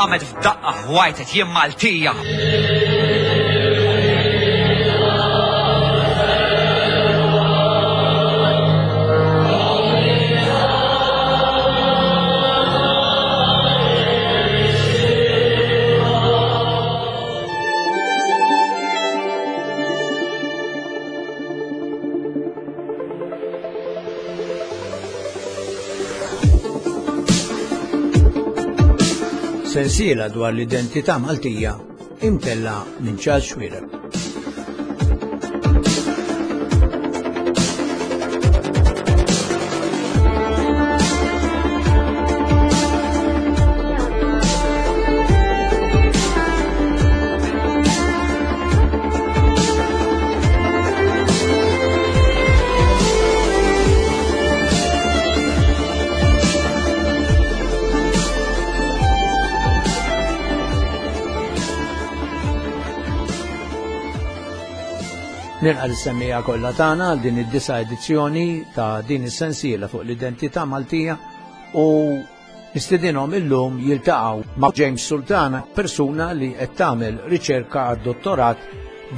Qamet f'daqqa ħwajtet jien Maltija. Sensiela dwar l-identità Maltija imtella minn Charles Xuereb. Nilqa l-semmija kollha tagħna għal din id-disa edizzjoni ta' din is-sensiela fuq l-identità Maltija u Nistedinhom illum jiltaqgħu ma' James Sultana, persuna li qed tagħmel riċerka għad-dottorat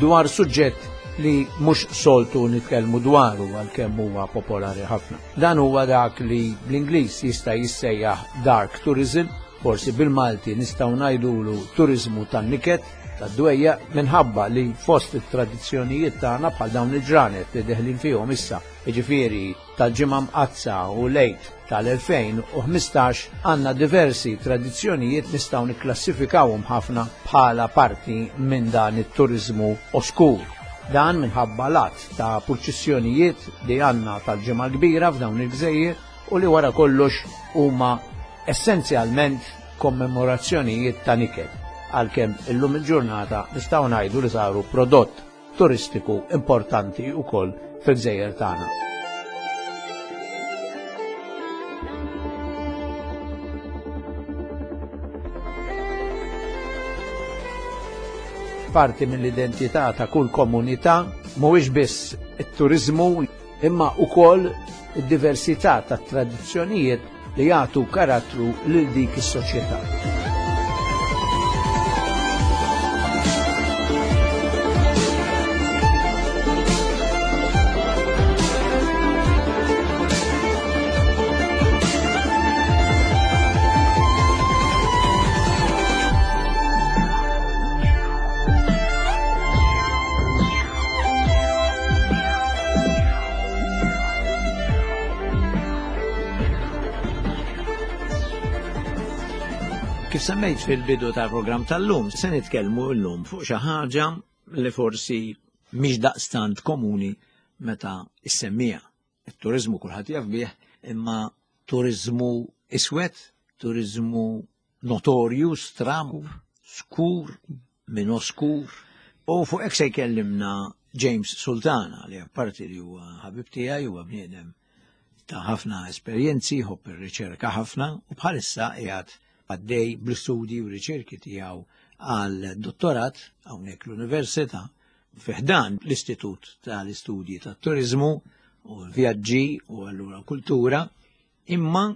dwar suġġett li mhux soltu nitkellmu dwaru għalkemm huwa popolari ħafna. Dan huwa dak li bl-Ingliż jista' jissejjaħ dark tourism, forsi bil-Malti nistgħu ngħidulu turiżmu tan-niket, tad-dwejjaq, minħabba li fost it-tradizzjonijiet tagħna bħal dawn il-ġranet li deħlin fihom issa, jiġifieri tal-Ġimgħa Mqaddsa u l-Għid tal-2015 għandna diversi tradizzjonijiet nistgħu nikklassifikawhom ħafna bħala parti minn dan it-turiżmu oskur. Dan minħabba l-għadd ta' purċissjonijiet li għandna tal-Ġimgħa l-Kbira f'dawn il-gżejjer u li wara kollox huma essenzjalment kommemorazzjonijiet ta' niket, għalkemm illum il-ġurnata nistgħu ngħidu li saru prodott turistiku importanti wkoll fil-gżejjer tagħna. Parti mill-identità ta' kull komunità mhuwiex biss it-turiżmu imma wkoll id-diversità tat-tradizzjonijiet li jagħtu karattru lil dik is-soċjetà. Kif semmejt fil-bidu tal-programm tal-lum, se nitkellmu llum fuq xi ħaġa li forsi mhix daqstant komuni meta issemmija. It-turiżmu kulħadd jaf bih, imma turiżmu iswed, turiżmu notorju, stramb, skur, minn oskur. U fuq hekk se jkellimna James Sultana li apparti li huwa ħabib tiegħi huwa bniedem ta' ħafna esperjenzi, jħobb ir-riċerka ħafna u bħalissa qiegħed għaddej bl-istudji u riċerki tiegħu għal dottorat hawnhekk l-Università fi ħdan l-Istitut tal-Istudji tat-Turiżmu u l-Vjaġġi u allura kultura, imma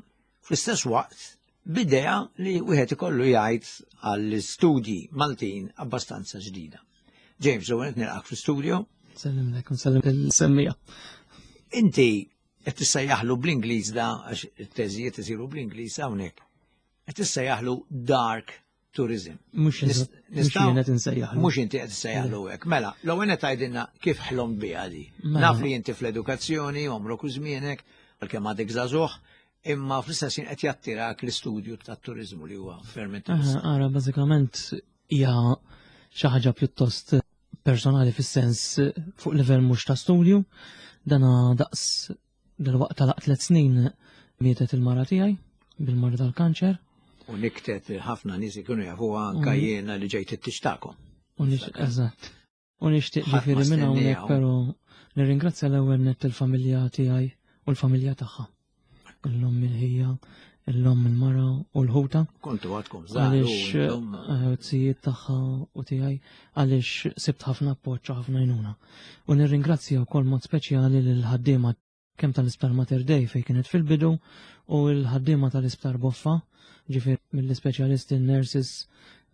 Fl-istess waqt, b'idea li wieħed ikollu jgħid għall-istudji Maltin abbastanza ġdida. James, u għenet nilqak fl-studio. Sellimlek, nsellem il-semmija. Inti qed tissejjaħlu bl-Ingliż da għax it-teżijiet isiru bl-Ingliż hawnhekk. Qed tissejjaħlu dark tourism. Mhux jien qed insejjaħlu. Mhux inti qed issejjaħlu hekk. Mela, l-ewwel qed tgħidilna kif ħlom biha di. Mela. Naf li inti fl-edukazzjoni, għomrok u żmienek, għalkemm għadek żagħżugħ, imma fl-istess ħin qed jattirak l-istudju tat-turiżmu li huwa ferm interessanti. Ara, bażikament hija xi ħaġa pjuttost personali fis-sens fuq livell mhux ta' studju, dana daqs Dalwaqt talaq tlet snin mietet il-mara tiegħi bil-marda tal-kanċer. U niktet ħafna nies ikunu jafuha anke mm. jiena li ġejt it-tixtakom. Eżatt. U nixtieq ġifieri minn hawnhekk però nirringrazzja l-ewwel nett il-familja tiegħi u l-familja tagħha. L-omm il-ħija, l-omm il-mara u l-ħuta. Kontu għadkom żgħar. Għaliex eh, zijiet tagħha u tiegħi għaliex sibt ħafna appoġġ u ħafna għajnuna. U nirringrazzja wkoll mod speċjali lil ħaddiema kemm tal-Isptar Mater Dei fejn kienet fil-bidu u l-ħaddiema tal-Isptar Boffa. Ġifieri mill-ispeċjalisti nurses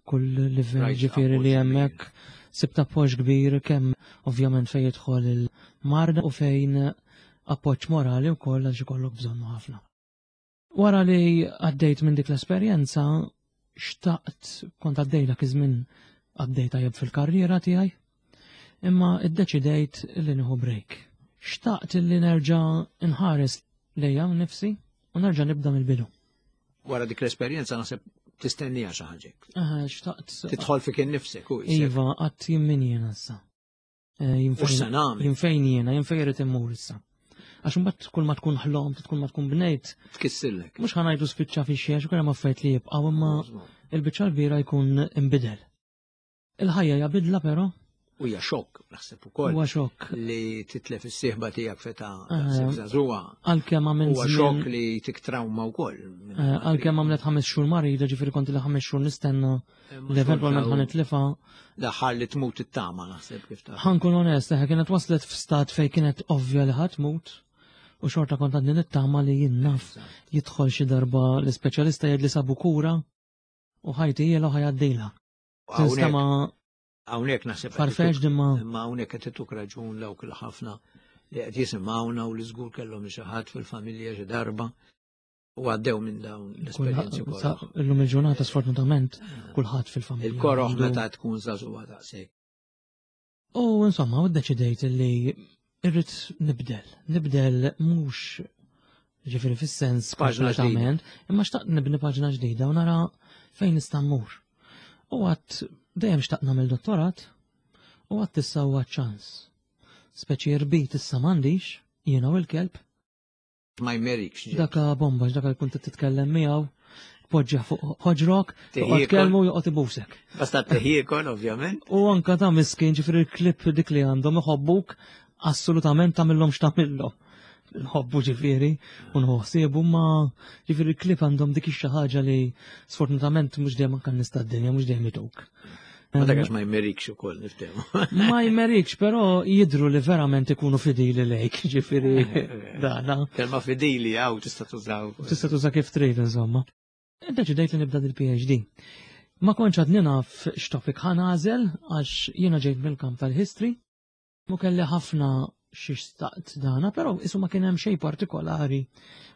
kull livell ġifieri li hemmhekk sibt appoġġ kbir kemm ovvjament fejn jidħol il-marda u fejn appoġġ morali wkoll għax ikollok bżonnu ħafna. Wara li għaddejt minn dik l-esperjenza, xtaqt kont għaddej dak iż-żmien għaddej tajjeb fil-karriera tiegħi, imma iddeċidejt li nieħu break. Xtaqt li nerġa' nħares lejja nnifsi u nerġa' nibda mill-bidu. Wara dik l-esperjenza naħseb tistennija xi ħaġa. Xtaqt. Tidħol fik innifsek u Iva, qatt jien min jiena issa. Eh, jien fejn jiena, jien fejn irid immur issa. Għax imbagħad kull ma tkun ħlom, tkun ma tkun bnejt. Tkissillek. Mhux ħanajdu spiċċa fi xiex, kull ma affarijiet li jibqgħu imma il-biċċa l-kbira jkun imbidel. Il-ħajja hija bidla però. U hija xokk, naħseb ukoll. Huwa xokk. Li titlef is-sieħba tiegħek feta eh, żagħżugħa. Għalkemm għamil Huwa xokk li tik trawma wkoll. Eh, għalkemm għamlet ħames xhur marida, ġifieri kont li ħames xhur nistenna li eventwalment ħa nitlifa. L-aħħar li tmut it-tama naħseb kif ta'. Ħankun onest, eħe kienet waslet f'stat fej kienet ovvja li ħadd tmut u xorta kont għadni nittama li jien naf jidħol xi darba l-ispeċjalista jgħid li sabu kura u ħajti jiela u ħajaddila. Tinstema Hawnhekk naħseb farfex dimma. Imma hawnhekk qed ituk raġun dawk il-ħafna li qed jisimgħuna u li żgur kellhom xi ħadd fil-familja xi darba u għaddew minn dawn l-esperjenzi kollha. Illum il-ġurnata sfortunatament kulħadd fil-familja. Il-koroħ meta tkun żagħżugħa daqshekk. U insomma, u ddeċidejt li irrid nibdel. Nibdel mhux ġifieri fis-sens kompletament, imma xtaqt nibni paġna ġdida u nara fejn nista' mmur. U għat dejjem xtaqt nagħmel dottorat u għat issa huwa ċans. Speċi rbit issa m'għandix, jiena u l-kelb, Ma jmerikx. Daka bomba, daka jkun titkellem miegħu, poġġa fuq ħoġrok, toqgħod kelmu joqgħod ibusek. Basta teħiekol, ovvjament. U anka ta' miskin ġifieri il-klip dik li għandhom iħobbuk assolutament tagħmilhom x'tagħmilhom. Nħobbu ġifieri u nħossiebu ma ġifieri il-klip għandhom dik ix ħaġa li sfortunatament mhux dejjem anke nista' d-dinja mhux dejjem ituk. Ma dak ma jmerikx ukoll niftehmu. Ma jmerikx, però jidru li verament ikunu fidili lejk, ġifieri dana. Kelma fidili għaw tista' tużaw. Tista' tuża kif trid insomma. Deċidejt li nibda dil-PhD. Ma kontx għadni naf x'topik ħanażel għax jiena ġejt mill-kamp tal-history Mu kelli ħafna xi staqt dana, però isu ma kien hemm xejn partikolari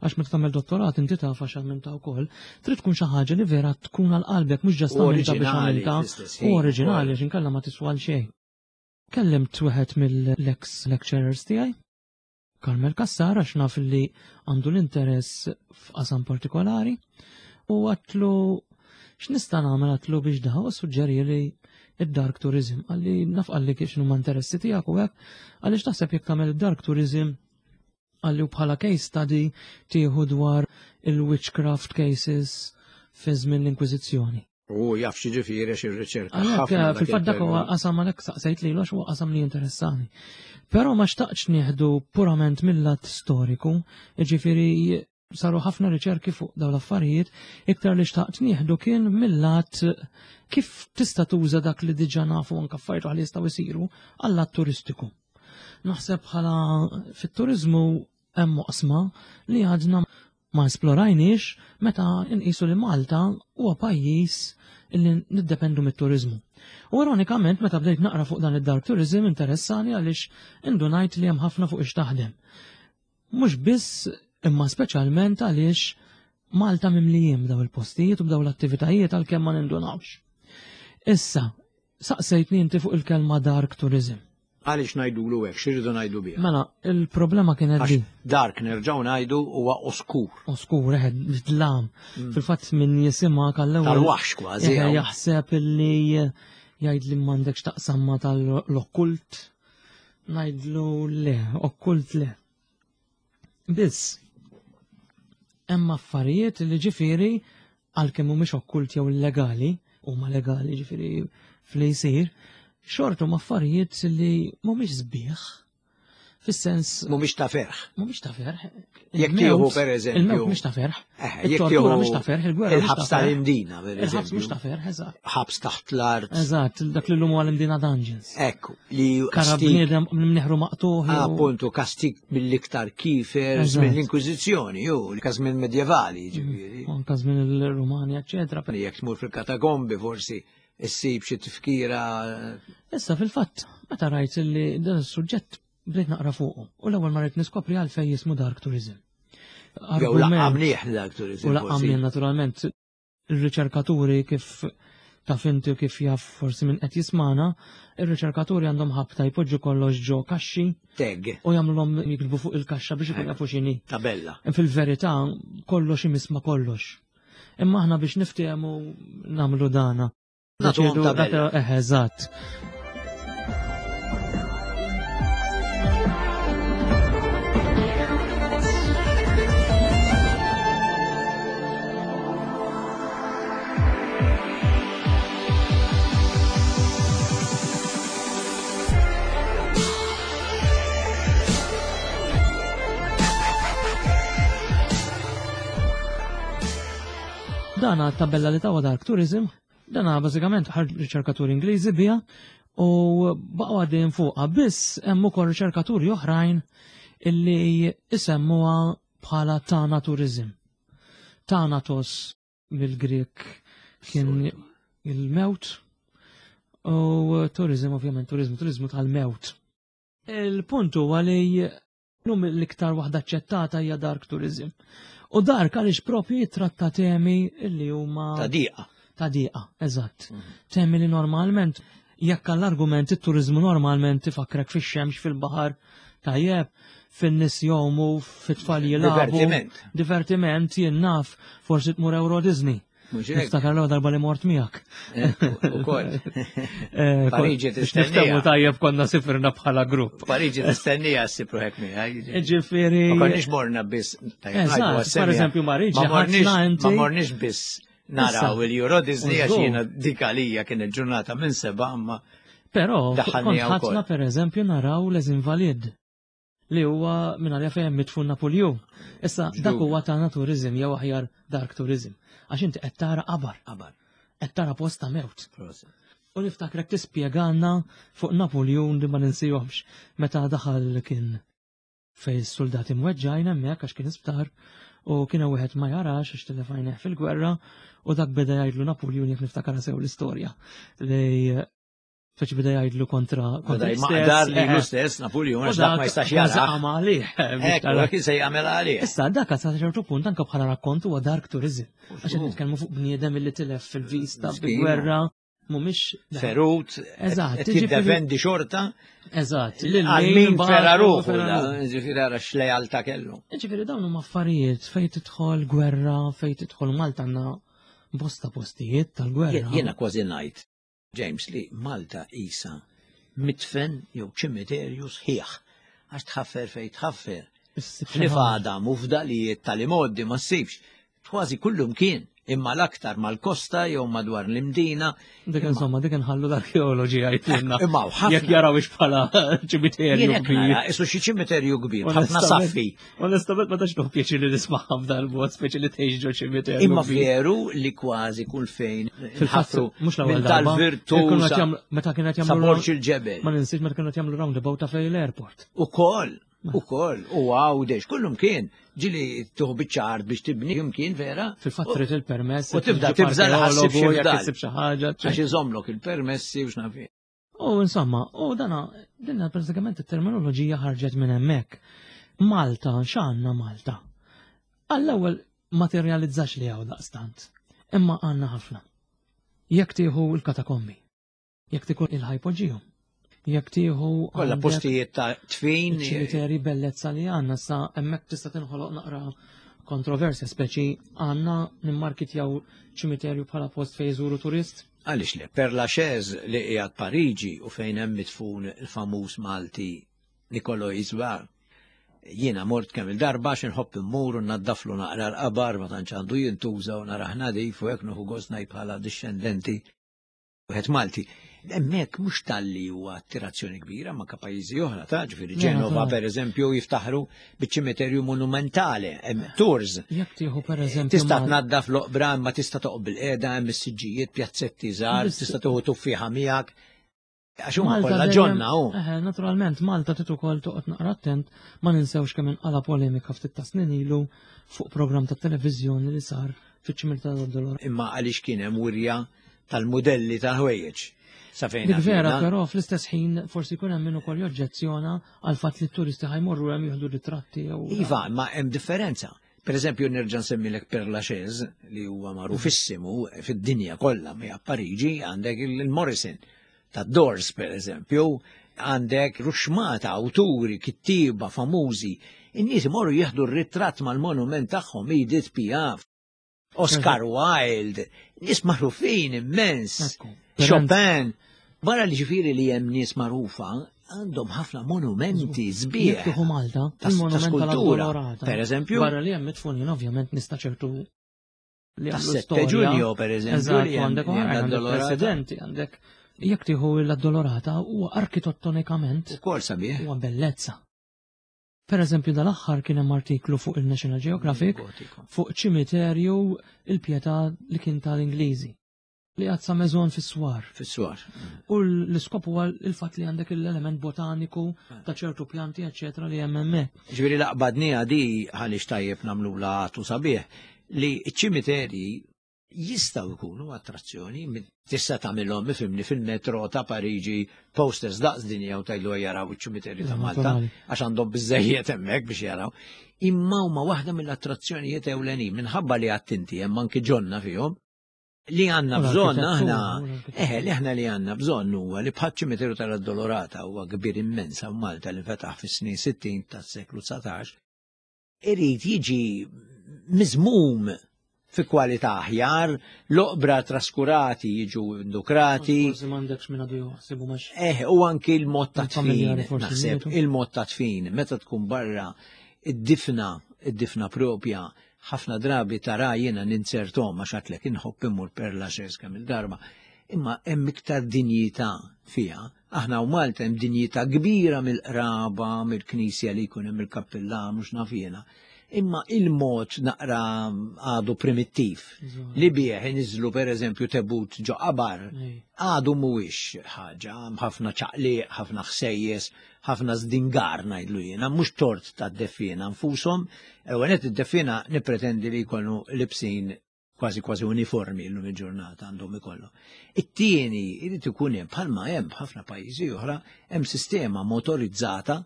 għax meta tagħmel dottorat inti taf għax għamilta wkoll, trid tkun xi ħaġa li vera tkun għal qalbek mhux ġast tagħmilha biex għamilta u oriġinali għax inkella ma tiswa għal xejn. Kellimt wieħed mill-ex lecturers tiegħi, Carmel Cassar għax naf li għandu l-interess f'qasam partikolari u għatlu x'nista' nagħmel għatlu biex daħ u suġġeri li id-dark tourism għalli naf għalli kif x'inhuma interessi tiegħek u hekk għaliex taħseb jekk tagħmel id-dark tourism għalli u bħala case study tieħu dwar il-witchcraft cases fi żmien l-Inkwiżizzjoni. U jaf x'jiġifieri għax irriċerka. Għalhekk fil-fatt dak huwa qasam għalhekk saqsejt lilu għax huwa qasam li jinteressani. Però ma xtaqtx nieħdu purament mill-lat storiku, jiġifieri saru ħafna riċerki fuq dawn l-affarijiet, iktar li xtaqt nieħdu kien mill-lat kif tista' tuża dak li diġà nafu anke affarijiet oħra li jistgħu jsiru għal-lat turistiku. Naħseb bħala fit-turiżmu hemm oqsma li għadna ma esplorajniex meta nqisu li Malta huwa pajjiż li niddependu mit-turiżmu. U ironikament meta bdejt naqra fuq dan id-dark tourism interessani għaliex indunajt li hemm ħafna fuq ix taħdem. Mhux biss imma speċjalment għaliex Malta mimlijin b'daw il-postijiet u b'daw l-attivitajiet għalkemm ma nindunawx. Issa, saqsejtni inti fuq il-kelma dark tourism. Għaliex ngħidulu hekk, x'irridu ngħidu biha? Mela, il-problema kienet di. Dark nerġgħu ngħidu huwa oskur. Oskur, eħed, dlam. Fil-fatt min jisimha għall-ewwel. Tal-waħx kważi. Jaħseb illi jgħid li m'għandekx taqsam ma tal-okkult. Ngħidlu le, okkult le. Biss, hemm affarijiet li ġifieri għalkemm mhumiex okkult jew illegali, huma legali ġifieri fli jsir, xorta huma affarijiet li mhumiex sbieħ. Fis-sens. Mhumiex ta' ferħ. Mhumiex ta' ferħ. Jekk tieħu pereżempju. Il-mewt mhux ta' ferħ. Eh, jekk tieħu mhux ta' ferħ, il-gwerra. Il-ħabs tal-Imdina, pereżempju. Il-ħabs mhux ta' ferħ, eżatt. Ħabs taħt l-art. Eżatt, dak li l-lum għal-Imdina Dungeons. Ekku, li. Karabniedem mniħru maqtuħ. Appuntu, kastik mill-iktar kifer minn l-Inkwiżizzjoni, ju, każ minn medjevali, mm, ġifieri. Anka żmien il-Rumani, eċetera. Jekk tmur fil-katakombi forsi issib xi tifkira. Issa fil-fatt, meta rajt li dan is-suġġett bdejt naqra fuqu u l-ewwel ma rrid niskopri għalfejn jismu dark tourism. Jew laqqamnieh dark tourism. U laqqamnieh naturalment ir-riċerkaturi kif taf inti u kif jaf forsi minn qed jismana, ir-riċerkaturi għandhom ħabta jpoġġu kollox ġo kaxxi. Tag. U jagħmluhom jiktbu fuq il-kaxxa biex ikun jafu x'inhi. Tabella. Fil-verità kollox imisma kollox. Imma aħna biex niftehmu nagħmlu dana. Nagħtuhom tabella. Eh, eżatt. Dana tabella li tawa Dark Tourism, dana bażikament ħarġ riċerkaturi Ingliżi biha u baqgħu għaddejjin fuqha biss hemm ukoll riċerkaturi oħrajn illi isemmuha bħala Tana Tourism. Thanatos mill-Grek kien il-mewt u tourism ovvjament turizmu, turizmu tal-mewt. Il-punt huwa li Lum l-iktar waħda aċċettata hija dark tourism. U dark għaliex propju jitratta temi li huma Ta' diqa. Ta' diqa, eżatt. Mhm. Temi li normalment jekk għall-argument it-turizmu normalment tifakrek fix-xemx fil-baħar tajjeb fin-nies jomu fit-tfal jilagħbu. Divertiment. Divertiment jien naf forsi tmur Euro Disney. Niftakar l darba li mort miegħek. Ukoll. Eh, Pariġi tistennija. tajjeb konna sifirna bħala grupp. Pariġi tistennija ssibru hekk miegħek. Ġifieri. Ma konniex morna biss. Per eżempju Pariġi. Ma morniex biss naraw il-Euro Disney għax jiena dik għalija kien il-ġurnata minn seba' imma. Però kont ħadna per eżempju naraw les invalid li huwa minn għalija fejn mitfun Napoleon. Issa dak huwa tagħna turizm jew aħjar dark tourism. Għax inti qed tara qabar. Qabar. Qed tara post ta' mewt. U niftakrek tispjegalna fuq Napoleon li ma ninsihomx meta daħal kien fej soldati mweġġajn hemmhekk għax kien isptar u kien hemm wieħed ma jarax għax tilef għajneh fil-gwerra u dak beda jgħidlu Napoleon jekk niftakar sew l-istorja li Feċ bida jgħidlu kontra kontra l-istess. Li l-istess Napoleon, għax dak ma jistax jara. Għama għalih. Ekku, se jagħmel għalih. Issa dak sa ċertu punt anke bħala rakkont huwa dark tourism. Għax qed nitkellmu fuq bniedem li tilef fil-vista bil-gwerra mhumiex ferut. Eżatt, jiddefendi xorta. Eżatt, għal min fera ruħu, ġifieri ara x'lealtà kellu. Ġifieri dawn huma affarijiet fejn tidħol gwerra, fejn tidħol Malta għandna bosta postijiet tal-gwerra. Jiena kważi ngħid James li Malta qisha midfen jew ċimiterju sħiħ għax tħaffer fejn tħaffer. Ħlief għadam u fdalijiet tal-imgħoddi ma ssibx. Kważi kullumkien imma l-aktar mal-kosta jew madwar l-Imdina. Dik insomma, dik inħallu l-arkeoloġi jgħidilna. Imma ħafna. Jekk jaraw ix bħala ċimiterju kbir. Isu xi ċimiterju kbir, ħafna saffi. Onestament ma tax nuħ pjaċir li nismaħħa f'dal mod speċi li tgħix ġo ċimiterju. Imma veru li kważi kull fejn fil-ħaffru mhux l-ewwel darba. Tal-virtu. Meta kienet jagħmlu Saborġ il-ġebel. Ma ninsiex meta kienet jagħmlu roundabout ta' fejn l-airport. Ukoll, ukoll, u għawdex, kullum kien ġili tuħ biċċar biex tibni jimkien vera. Fil-fatt trid il-permess. U tibda tibża l-ħassib xi ħaġa. Għax iżomlok il-permessi u x'naf U insomma, u dana, dinna pratikament it-terminoloġija ħarġet minn hemmhekk. Malta, x'għandna Malta? Għall-ewwel ma tirrealizzax li hawn daqstant, imma għandna ħafna. Jekk tieħu l-katakombi, jekk tieħu il-ħajpoġiju, jekk tieħu Kollha postijiet ta' tfin. ċimiteri bellezza li għandna sa hemmhekk tista' tinħoloq naqra kontroversja speċi għandna nimmarkitjaw ċimiterju bħala post fejn jżuru turist. Għaliex le, Père Lachaise li qiegħed Pariġi u fejn hemm midfun il-famuż Malti Nicolò Isbar. Jiena mort kemm il-darba għax inħobb immur u nnaddaflu naqra l-qabar ma tantx għandu jintuża u narah nadif u hekk nieħu gost ngħid bħala dixxendenti wieħed Malti. Hemmhekk mhux talli huwa attirazzjoni kbira ma' ka pajjiżi oħra ta' ġifieri Ġenova pereżempju jiftaħru biċ-ċimiterju monumentali, hemm tours. Jekk tieħu pereżempju. Tista' tnaddaf l-oqbra imma tista' toqgħod bil-qiegħda hemm is-siġġijiet, pjazzetti żgħar, tista' tieħu tuffieħa miegħek. Għax huma kollha ġonna hu. Eh, naturalment Malta trid ukoll toqgħod naqra attent ma ninsewx kemm inqala polemika ftit ta' snin ilu fuq programm ta' televiżjoni li sar fiċ-ċimil ta' Dolor. Imma għaliex kien hemm wirja tal-modelli tal-ħwejjeġ. Sa fejn Dik vera, però fl-istess ħin forsi jkun hemm min ukoll joġġezzjona għal fatt li t-turisti ħajmorru hemm jieħdu ritratti jew. Iva, ma hemm differenza. Per eżempju, nerġa' nsemmilek Père Lachaise li huwa magħrufissimu fid-dinja kollha mi Pariġi għandek il-Morrison ta' Doors per eżempju, għandek ruxmata awturi, kittieba famużi, in-nies imorru jieħdu r-ritratt mal-monument tagħhom Edith Piaf, Oscar Wilde, nies magħrufin immens, Chopin. Barra li ġifieri li hemm nies magħrufa, għandhom ħafna monumenti sbieħ. Tieħu Malta, il-monument tal-skultura. Per eżempju. Barra li hemm mitfunin ovvjament nista' ċertu li għandu 7 Ġunju, per eżempju, li għandek għandek presidenti, għandek jekk tieħu l-Addolorata huwa arkitettonikament. Ukoll sabiħ. Huwa bellezza. Per eżempju, dal-aħħar kien hemm artiklu fuq il-National Geographic fuq ċimiterju il-pietà li kien tal-Ingliżi li għad sa meżon fis-swar. Fis-swar. U l-iskop huwa il-fatt li għandek l-element botaniku ta' ċertu pjanti, eċetera, li hemm hemmhekk. Ġifieri laqbadniha di għaliex tajjeb nagħmlula għatu sabiħ li ċ-ċimiterji jistgħu jkunu attrazzjoni, tista' tagħmilhom ifimni fil-metro ta' Pariġi posters daqs dinja u tgħidlu jaraw iċ-ċimiterju ta' Malta għax għandhom biżejjed hemmhekk biex jaraw. Imma huma waħda mill-attrazzjonijiet ewlenin minħabba li għattinti hemm anki ġonna fihom li għandna bżonn aħna, eħe, li aħna li għandna bżonn huwa li bħal ċimiterju tal-Addolorata huwa kbir immens hawn Malta li nfetaħ fis-snin 60 tas-seklu 19, irid jiġi miżmum fi kwalità aħjar, l-oqbra traskurati jiġu indukrati. Forsi m'għandekx minn għadu jaħsibu max. Eh, u anki l-mod ta' tfin, naħseb, il-mod ta' tfin, meta tkun barra id-difna, id-difna propja, ħafna drabi tara jiena ninzertom għax għatlek inħobb immur per la kemm il-darba, imma hemm iktar dinjità fiha Aħna u Malta hemm dinjità kbira mill-qraba, mill-knisja li jkun hemm il-kappillan u x'naf jiena. Imma il-mod naqra għadu primittiv li bih iniżlu pereżempju tebut ġo qabar għadu mhuwiex ħaġa, ħafna ċaqliq, ħafna ħsejjes, ħafna żdingar ngħidlu jiena, mhux tort tad-deffiena nfushom, ewwel nett id-deffiena nippretendi li jkunu libsin kważi kważi uniformi llum il-ġurnata għandhom ikollhom. It-tieni irid ikun hemm bħalma hemm f'ħafna pajjiżi oħra hemm sistema motorizzata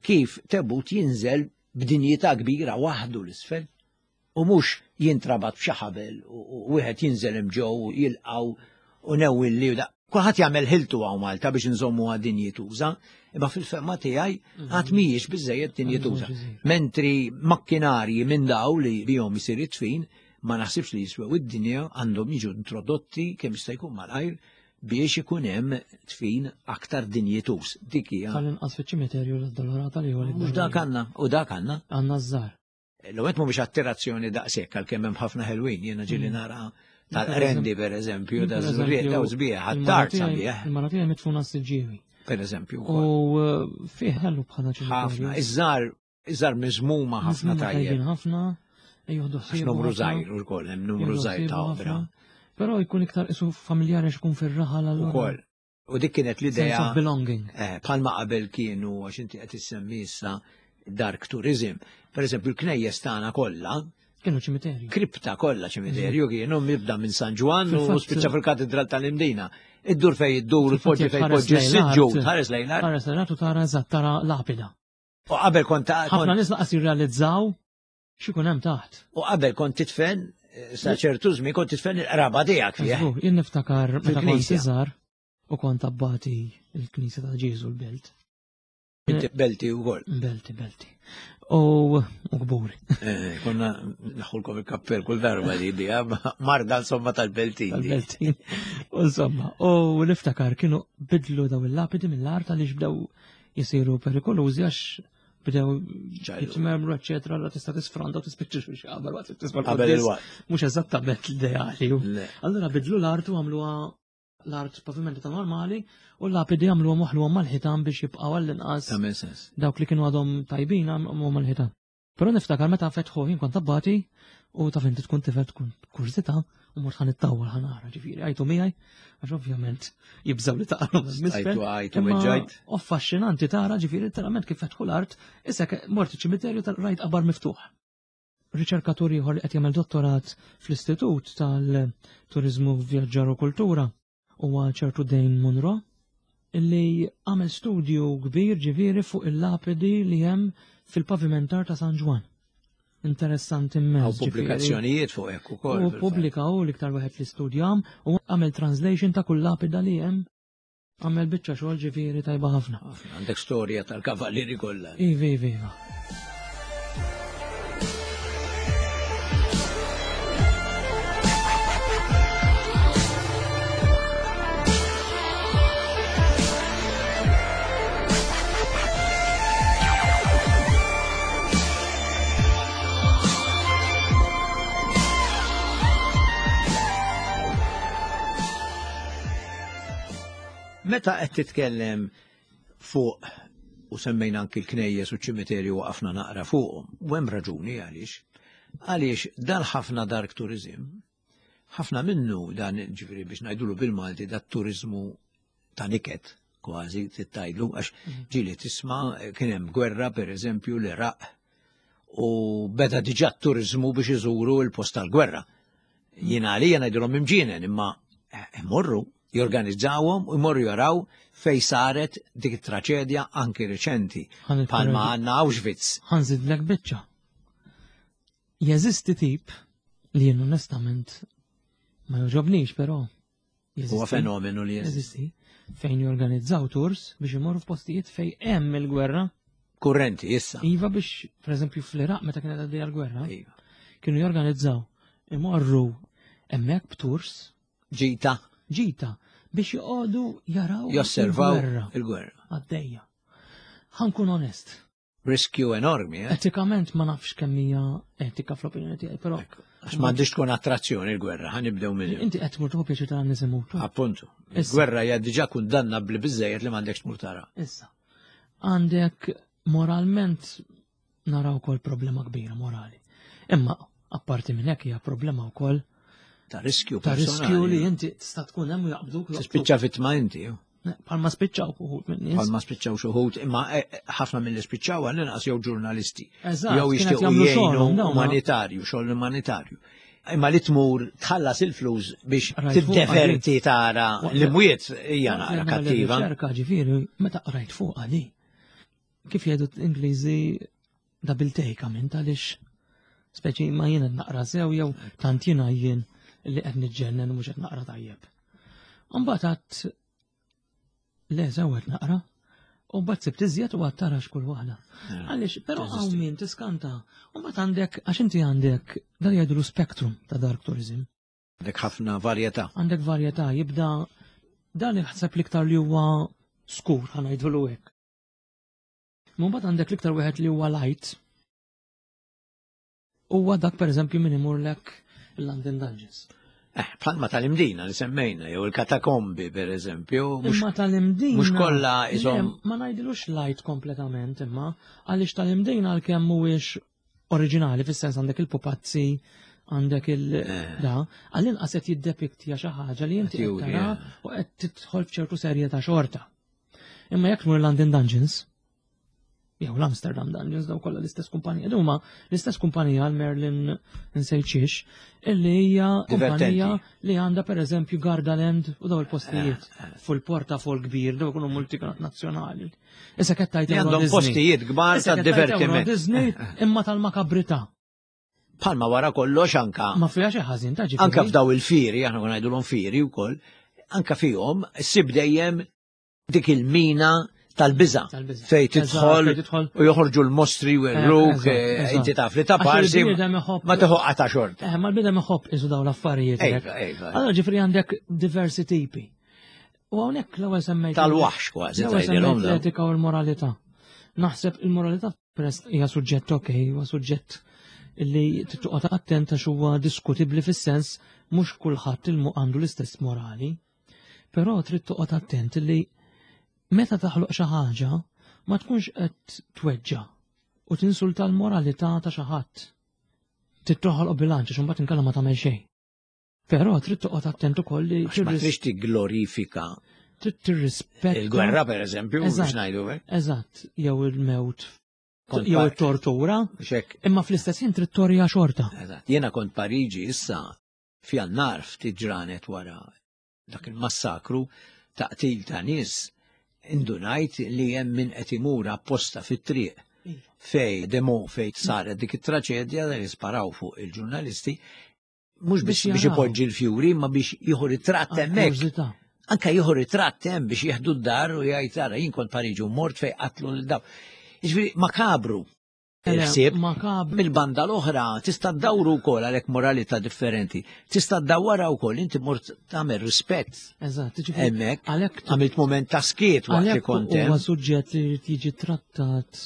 kif tebut jinżel b'dinjità kbira waħdu l-isfel u mhux jintrabat b'xi ħabel u wieħed jinżel hemm ġew u jilqgħu u newwilli u da. Kulħadd jagħmel ħiltu hawn Malta biex inżommuha dinjituża, imma fil-fehma tiegħi mhm. għad mhijiex biżejjed dinjituża. Mentri makkinarji minn daw li bihom isir it-tfin, ma naħsibx li jiswew id-dinja għandhom jiġu introdotti kemm jista' jkun malajr biex ikun hemm tfin aktar dinjituż. Dik hija. Tal-inqas fiċ-ċimiterju l-Addolorata li huwa Mhux dak għandna, u dak għandna. Għandna żgħar. L-għet mhumiex attirazzjoni daqshekk għalkemm hemm ħafna ħelwin, jiena ġieli mm. nara tal-rendi per eżempju, ta' żurriet ta' sbieħ, għat-tard sabiħ. Il-mara tiegħi mitfuna s-siġġiewi. Per eżempju. U eh, fih ħellu bħala ċimiterju. Ħafna, iż-żar, iż-żar miżmuma ħafna tajjeb. ħafna, jieħdu ħsieb. Numru żgħir ukoll hemm numru żgħir ta' opra. Però jkun iktar isu familjari x'ikun fir-raħal allura. Ukoll. U dik kienet l-idea. Sense of belonging. Eh, bħalma qabel kienu, għax inti qed issemmi issa dark tourism. Per eżempju, il-knejjes tagħna kollha Kienu ċimiterju. Kripta kollha ċimiterju kienu mibda minn San Ġwann u spiċċa fil-Katedral tal-Imdina. Iddur fej iddur, poġġi fej poġġi s-siġġu, tħares lejn l-art. Tħares lejn l-art u tara eżatt tara lapida. U qabel kont ħafna nies laqas jirrealizzaw x'ikun hemm taħt. U qabel kont titfen eh, sa ċertu żmien kont titfen il-qraba tiegħek fih. Jien niftakar meta kont iżgħar u kont abbati il-Knisja ta' Ġieżu l-Belt. Inti belti wkoll. Belti, belti. U kburi. Eh, konna naħulkom il-kappell kull darba li di, marda insomma tal-beltin. Tal-beltin. Insomma, u niftakar kienu bidlu daw il-lapidi mill-art għaliex bdew jisiru perikolużi għax bdew jitmermru, eccetera, la tista' tisfranda u tispiċċa xi xabar waqt li tisma' Qabel il-waqt. Mhux eżattament l-ideali. Allura bidlu l-art u għamluha. L-art pavimentata normali u l-lapidi għamluhom waħluhom mal-ħitan biex jibqgħu għall-inqas. Tagħmel sens. Dawk li kienu għadhom tajbin għamluhom mal-ħitan. Però niftakar meta fetħu jien kont abbati u taf inti tkun tifel tkun kurżità u mort ħan ittawwal ħan nara ġifieri għajtu miegħi għax ovvjament jibżgħu li taqalhom misfel. Għajtu għajtu weġġajt. U affaxxinanti tara ġifieri letteralment kif fetħu l-art issa mort iċ-ċimiterju tal-rajt qabar miftuħ. Riċerkatur ieħor li qed jagħmel dottorat fl-Istitut tal-Turiżmu Vjaġġar u Kultura huwa ċertu Dane Munro illi għamel studju kbir ġifieri fuq il-lapidi li hemm fil-pavimentar ta' San Ġwann. Interessanti immens. Hawn pubblikazzjonijiet fuq hekk ukoll. U pubblika hu l-iktar wieħed li studjam u għamel translation ta' kull lapida li hemm. Għamel biċċa xogħol ġifieri tajba ħafna. Għandek storja tal-kavallieri kollha. Ivi, ivi, iva. Meta qed titkellem fuq u semmejna anki l-knejjes u ċ-ċimiterju waqafna naqra fuqhom, u hemm raġuni għaliex. Għaliex dan ħafna dark tourism, ħafna minnu dan ġifieri biex ngħidulu bil-Malti dat turizmu ta' niket kważi tittajlu għax mhm. ġieli tisma' kien hemm gwerra pereżempju l-Iraq u beda diġà t-turizmu biex iżuru l-post tal-gwerra. Jiena għalija ngħidilhom imġienen imma eh, imorru jorganizzawhom u jmorru jaraw fej saret dik it-traċedja anki reċenti. Palma għandna Auschwitz. Ħanżidlek biċċa. Jeżisti tip li jien onestament ma joġobnix però Huwa fenomenu li jeżisti. Fejn jorganizzaw tours biex imorru f'postijiet fejn hemm il-gwerra. Kurrenti, issa. Iva biex, per eżempju, fl-Iraq meta kienet għaddejja l-gwerra, iva. kienu jorganizzaw imorru hemmhekk b'tours. Ġita. Ġita biex joqogħdu jaraw josservaw il-gwerra. Għaddejja. Ħankun onest. Riskju enormi, eh? Etikament ma nafx kemm hija etika fl-opinjoni tiegħi, però. Għax m'għandix tkun attrazzjoni l-gwerra, ħa nibdew minn. Inti qed tmur tieħu pjaċir tara nies imutu. Appuntu. Il-gwerra hija diġà kundannabbli biżejjed li m'għandekx tmur tara. Issa. Għandek moralment naraw ukoll problema kbira morali. Imma apparti minn hekk hija problema wkoll ta' riskju ta' riskju li inti tista' tkun hemm u jaqbduk. Tispiċċa vittma inti. Palma spiċċaw uħud minn nies. Palma spiċċaw xuħud, imma eh, eh, ħafna mill spiċċaw għal inqas jew ġurnalisti. Eżatt. Jew jixtiequ jgħinu umanitarju, xogħol umanitarju. Imma li tmur tħallas il-flus biex tiddeverti tara l-imwiet hija naqra kattiva. Ċerka ġifieri meta qrajt fuq għali. Kif jgħidu Ingliżi double take għamilt għaliex speċi ma jien qed naqra sew jew tant jiena jien li qed niġġennen u mhux qed naqra tajjeb. Mbagħad għadt le sew qed naqra u mbagħad sibt iżjed u għad tarax kull waħda. Eh, għaliex però hawn min tiskanta u mbagħad għandek għax inti għandek dan jgħidulu spectrum ta' dark tourism. Għandek ħafna varjetà. Għandek varjetà jibda dan il-ħseb l-iktar li huwa skur ħanajdulu hekk. Mbagħad għandek l-iktar wieħed li huwa light. Huwa dak pereżempju min imurlek il-London Dungeons. Eh, bħalma tal-imdina li semmejna, jew il-katakombi per eżempju. Imma tal-imdina. Mux kolla isom. Ma najdilux light kompletament, imma għaliex tal-imdina għal-kemm mhuwiex oriġinali, fis-sens għandek il-pupazzi, għandek il- eh. da, għall-inqas qed jiddepiktja xi ħaġa li inti qed tara eh. u qed tidħol f'ċertu serje ta' xorta. Imma jekk tmur London Dungeons, jew l-Amsterdam Dungeons, daw kollha l-istess kumpanija, huma l-istess kumpanija l-Merlin nsejċiex, illi hija kumpanija li għandha pereżempju Gardaland u daw il-postijiet eh, eh. fuq il-portafol kbir, daw ikunu multinazzjonali. Issa qed tgħid għandhom postijiet kbar ta' divertiment. Disney imma tal-makabrità. Palma wara kollox anka. Ma fiha xi ħażin ta' ġifieri. Anka f'daw il-fieri, aħna kun ngħidulhom fieri wkoll, anka fihom ssib dejjem dik il-mina tal-biża fej tidħol u joħorġu l-mostri u l-ruk, eh, inti taf li ta' parsi ma teħu ta' xorta. Eh, ma l-bidem iħobb iżu daw l-affarijiet. Allora ġifri għandek diversi tipi. U hawnhekk l-ewwel semmejt. Tal-waħx kważi. L-ewwel semmejt l-etika u l-moralità. Naħseb il-moralità Peress hija suġġett ok, huwa suġġett li tittoqgħod attent għax huwa diskutibbli fis-sens mhux kulħadd il għandu l-istess morali. Però trid toqgħod attent li meta taħloq xi ħaġa ma tkunx qed tweġġa' u tinsulta l-moralità ta' xi ħadd. Trid toħloq bilanċ għax imbagħad inkella ma tagħmel xejn. Però trid toqgħod attent ukoll li ma tridx tigglorifika. Trid tirrispetta. Il-gwerra pereżempju, biex ngħidu hekk. Eżatt, jew il-mewt jew it-tortura. Imma fl-istess ħin trid torja xorta. Eżatt. Jiena kont Pariġi issa f'Jannar ftit ġranet wara dak il-massakru ta' qtil ta' nies indunajt li hemm min qed imur apposta fit-triq iva. fej demo fej saret dik it-traċedja li sparaw fuq il-ġurnalisti mhux biex biex ipoġġi l-fjuri ma biex jieħu ritratt hemmhekk. Anka jieħu ritratt hemm biex jieħdu d-dar u jgħid ara jien kont Pariġi u mort fej qatlu lil daw. Jiġifieri makabru. Il-ħsieb mill-banda l-oħra tista' ddawru wkoll għalhekk moralità differenti. Tista' ddawwarha wkoll inti mort tagħmel rispett. Eżatt, hemmhekk għalhekk għamilt mument ta' skiet waqt li kont hemm. Huwa suġġett li jrid jiġi trattat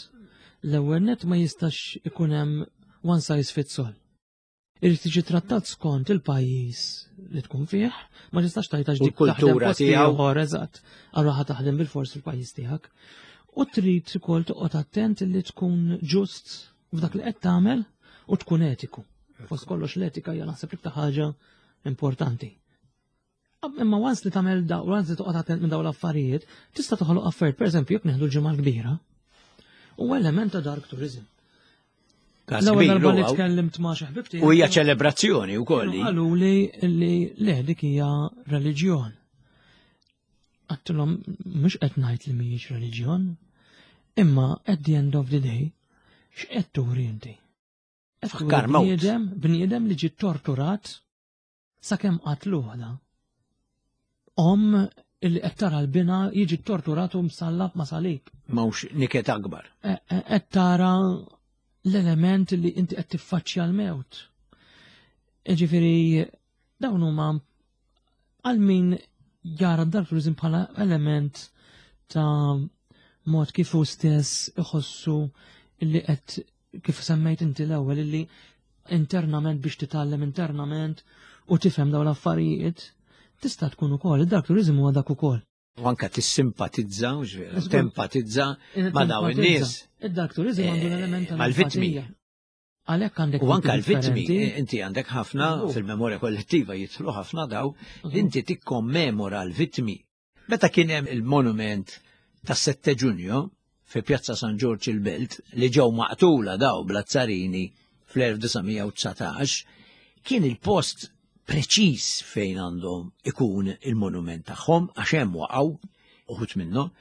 l-ewwel net ma jistax ikun hemm one size fits all. Irid tiġi trattat skont il-pajjiż li tkun fih, ma tistax tgħid għax dik kultura tiegħu. Ieħor eżatt, allura ħa taħdem bil-fors fil-pajjiż tiegħek. U trid ukoll toqgħod attent li tkun ġust f'dak li qed tagħmel u tkun etiku. Fost kollox l-etika hija naħseb l-iktar ħaġa importanti. Imma once li tagħmel da, once li toqgħod attent minn dawn l-affarijiet, tista' toħloq affarijiet, pereżempju jekk neħdu l-ġimgħa l-kbira, huwa element ta' dark tourism. L-ewwel darba li tkellimt ma' xi ħbib U hija ċelebrazzjoni wkoll. Qalu li li le dik hija reliġjon. Għattilhom mhux qed ngħid li mhijiex reliġjon, imma at the end of the day x'qed turi inti? Fakkar Bniedem, bniedem li ġi torturat sakemm qatluh da. Om illi qed tara l-bina jiġi torturat u msallab ma' salib. Mawx niket akbar. E, e, qed tara l-element li inti qed tiffaċċja l-mewt. Ġifieri dawn huma għal min jara d-dark tourism bħala element ta' mod kif hu stess iħossu illi qed kif semmejt inti l-ewwel illi internament biex titgħallem internament u tifhem dawn l-affarijiet, tista' tkun ukoll, id-dark tourism huwa dak ukoll. U anka tissimpatizza, tempatizza ma' dawn in-nies. Id-dark tourism għandu l-element eh, mal-vittmi. Għalhekk għandek U anka l-vittmi, eh, inti għandek ħafna fil-memorja kollettiva jidħlu ħafna daw, inti tikkommemora l-vittmi. Meta kien hemm il-monument tas-7 Ġunju fi Pjazza San Ġorġ il-Belt li ġew maqtula daw bl-azzarini fl-1919, kien il-post preċiż fejn għandhom ikun il-monument tagħhom għax hemm waqgħu uħud minnhom.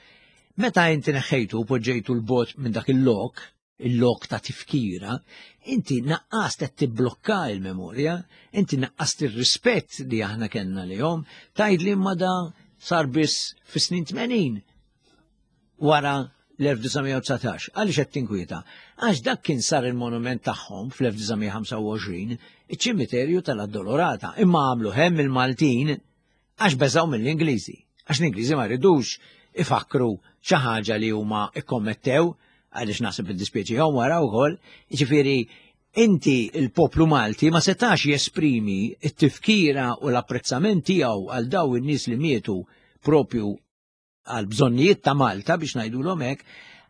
Meta inti neħħejtu u poġġejtu l-bot minn dak il-lok, il-lok ta' tifkira, inti naqqast qed tibblokka il-memorja, inti naqqast ir-rispett li aħna kellna lihom, tgħid li imma da sar biss fis-snin 80 wara l-1919. Għaliex qed tinkwieta? Għax dak kien sar il-monument tagħhom fl-1925, iċ-ċimiterju tal-Addolorata, imma għamlu hemm il-Maltin Għax beżgħu mill-Ingliżi. Għax l-Ingliżi ma ridux ifakkru xi ħaġa li huma ikkommettew, għaliex naħseb iddispjaċihom wara wkoll. Jiġifieri inti il-poplu Malti ma setax jesprimi t-tifkira u l-apprezzament tiegħu għal daw in-nies li mietu propju għal bżonnijiet ta' Malta biex ngħidulhom hekk,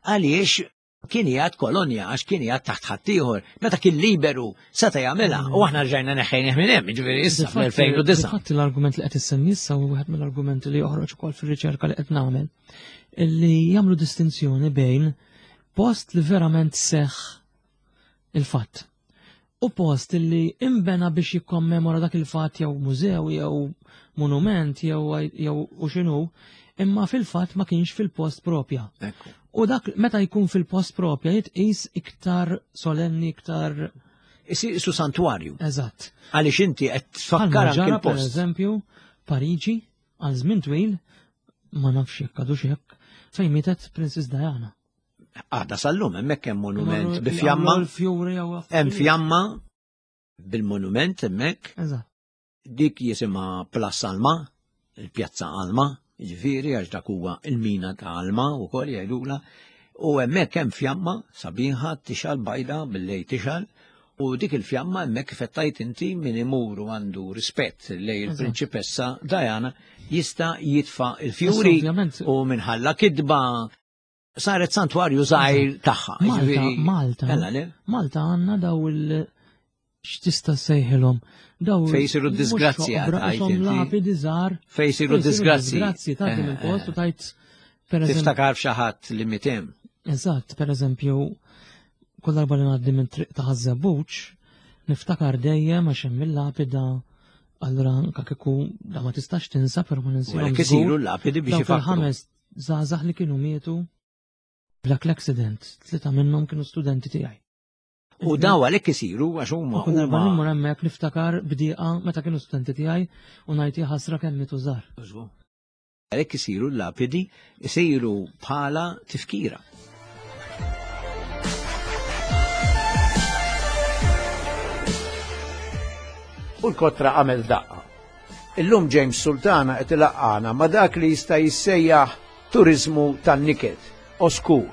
għaliex kien jgħad kolonja għax kien jgħad taħt ħaddieħor. Meta kien liberu seta' jagħmilha u aħna rġajna neħħejnih minn hemm, jiġifieri issa fl-2009. Fatt l-argument li qed issemmi issa huwa wieħed mill-argumenti li joħroġ ukoll fir-riċerka li qed nagħmel illi jagħmlu distinzjoni bejn post li verament seħħ il-fatt u post li imbena biex jikkommemora dak il-fatt jew mużew jew monument jew jew u x'inhu, imma fil-fatt ma kienx fil-post propja. U dak meta jkun fil-post propja jitqis iktar solenni, iktar Isir isu santwarju. Eżatt. Għaliex inti qed tfakkar anke l-post. Per eżempju, Pariġi għal żmien twil ma nafx jekk għadux hekk fejn mietet Princess Diana. Għada sal-lum hemmhekk hemm monument bi fjamma. Hemm fjamma bil-monument hemmhekk. Dik jisimha Place Alma, il-Pjazza Alma, jiġifieri għax dak huwa il-mina ta' Alma wkoll jgħidula. U hemmhekk hemm fjamma sabiħa tixal bajda bil-lejl tixal. U dik il-fjamma hemmhekk kif qed tgħid inti min imur u għandu rispett lejn il-prinċipessa Diana jista' jitfa' il-fjuri u minħalla kidba saret santwarju żgħir tagħha. Malta, Malta, Malta għandna daw il- x'tista' sejħilhom. Daw fej isiru disgrazzi lapidi żgħar. Fej isiru disgrazzi. Disgrazzi ta' din il-post u tajt per eżempju. Tiftakar f'xi ħadd li mitem. Eżatt, per eżempju, kull darba li ngħaddi minn triq ta' Ħaż-Żebbuġ, niftakar dejjem għax hemm il-lapida allura anka kieku da ma tistax tinsa però ma ninsihom. Għalhekk isiru l-lapidi biex ifakkru. ħames żgħażagħ li kienu mietu b'dak l-accident, tlieta minnhom kienu studenti tiegħi. U daw għalhekk isiru għax huma. Kull darba immur hemmhekk niftakar bdieqa meta kienu studenti tiegħi u ngħid ħasra kemm mietu żgħar. Għalhekk isiru l-lapidi isiru bħala tifkira. U l-kotra għamel daqqa. Illum James Sultana qed ilaqqana ma' dak li jista' jissejjaħ turiżmu tan-niket, oskur,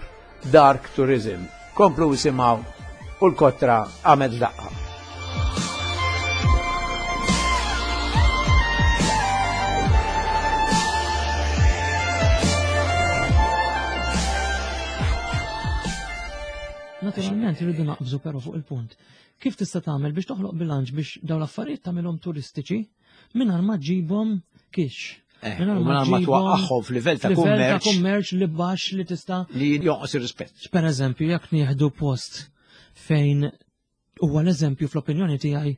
dark tourism. Komplu isimgħu u l-kotra għamel daqqa. Naturalment irridu naqbżu però fuq il-punt. Kif tista' tagħmel biex toħloq bilanċ biex dawn l-affarijiet tagħmilhom turistiċi mingħajr ma ġġibhom kix. Eh, mingħajr ma twaqqagħhom f'livell ta' kummerċ. Ta' kummerċ li baxx li tista' li jonqos ir-rispett. Per eżempju, jekk nieħdu post fejn huwa l-eżempju fl-opinjoni tiegħi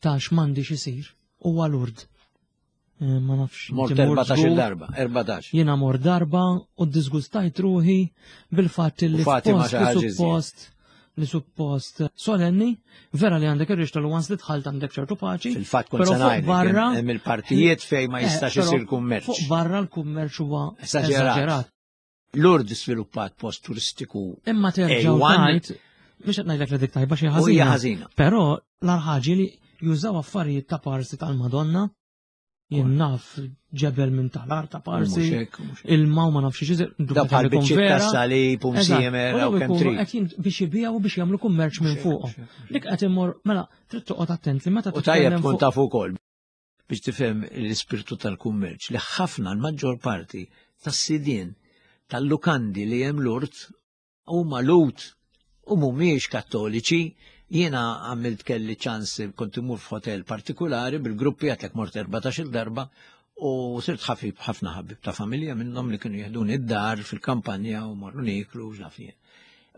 ta' x'm'għandix isir, huwa Lourdes. Eh, ma nafx. Mort 14 darba, 14. Jiena mor darba u disgustajt ruħi bil-fatt li post li suppost li suppost solenni, vera li għandek irrixta l once li tħalt għandek ċertu paċi. Fil-fatt kont se ngħidlek, barra hemm il-partijiet fejn ma eh, jistax isir kummerċ. Fuq barra l-kummerċ huwa esaġerat. Lourdes sviluppat post turistiku. Imma terġa' tgħid, mhux qed ngħidlek li dik tajba xi ħażina. ħażina. Però l-ħaġa li jużaw affarijiet ta' parsi tal-Madonna, jien naf ġebel minn tal-art ta' parsi, il-maw ma nafx xi Da bħal biċċiet ta' salib u msiemer u kemm trid. Biex ibijaw biex jagħmlu kummerċ minn fuq. Dik qed immur mela trid toqgħod attent li meta U tajjeb tkun taf ukoll biex tifhem l-ispirtu tal-kummerċ li ħafna l-maġġor parti tas-sidien tal-lukandi li hemm Lourdes huma Lhud u mhumiex kattoliċi. Jiena għamilt kelli ċans kont imur f'hotel partikulari bil-gruppi għatlek mort 14-il darba u sirt ħafib ħafna ħabib ta' familja minnhom li kienu jeħduni d-dar fil-kampanja u morru nieklu u x'naf jien.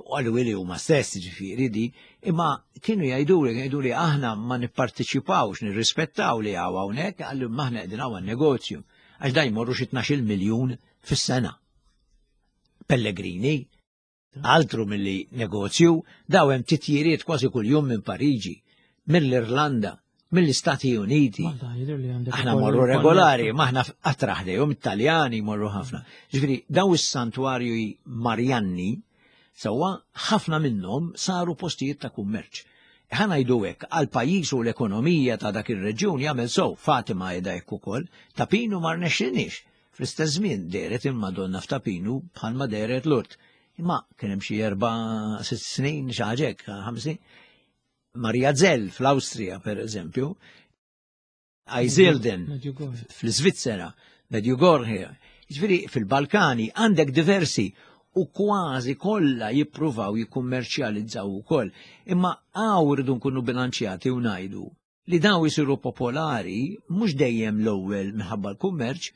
U għallu li huma stess ġifieri di, imma kienu jgħiduli, jgħiduli aħna ma nipparteċipawx, nirrispettaw li hawn hawnhekk, għallu maħna qegħdin hawn negozju. Għax da jmorru xi 12 miljun fis-sena. Pellegrini, altru milli negozju, daw hemm titjiriet kważi kuljum minn Pariġi, mill-Irlanda, mill-Istati Uniti. Aħna morru regolari, ma aħna qatt ħdejhom it-Taljani morru ħafna. Ġifieri daw is-santwarju Marjanni sewwa ħafna minnhom saru postijiet ta' kummerċ. Ħa ngħidu hekk, għal pajjiż u l-ekonomija ta' dak ir-reġjun jagħmel sew, Fatima qiegħda hekk ukoll, ta' Pinu ma rnexxinix. Fl-istess żmien dehret il-Madonna f'Ta' Pinu bħalma dehret Lourdes. Imma kien hemm xi erba' sitt snin, xi ħaġa hekk, ħames snin. Maria Zell fl-Awstrija, per eżempju, Eisilden fl-Svizzera, Medjugorje, ġifieri fil-Balkani għandek diversi u kważi kollha jippruvaw jikkummerċjalizzaw ukoll. Imma hawn irridu nkunu bilanċjati u ngħidu li daw isiru popolari mhux dejjem l-ewwel minħabba l-kummerċ,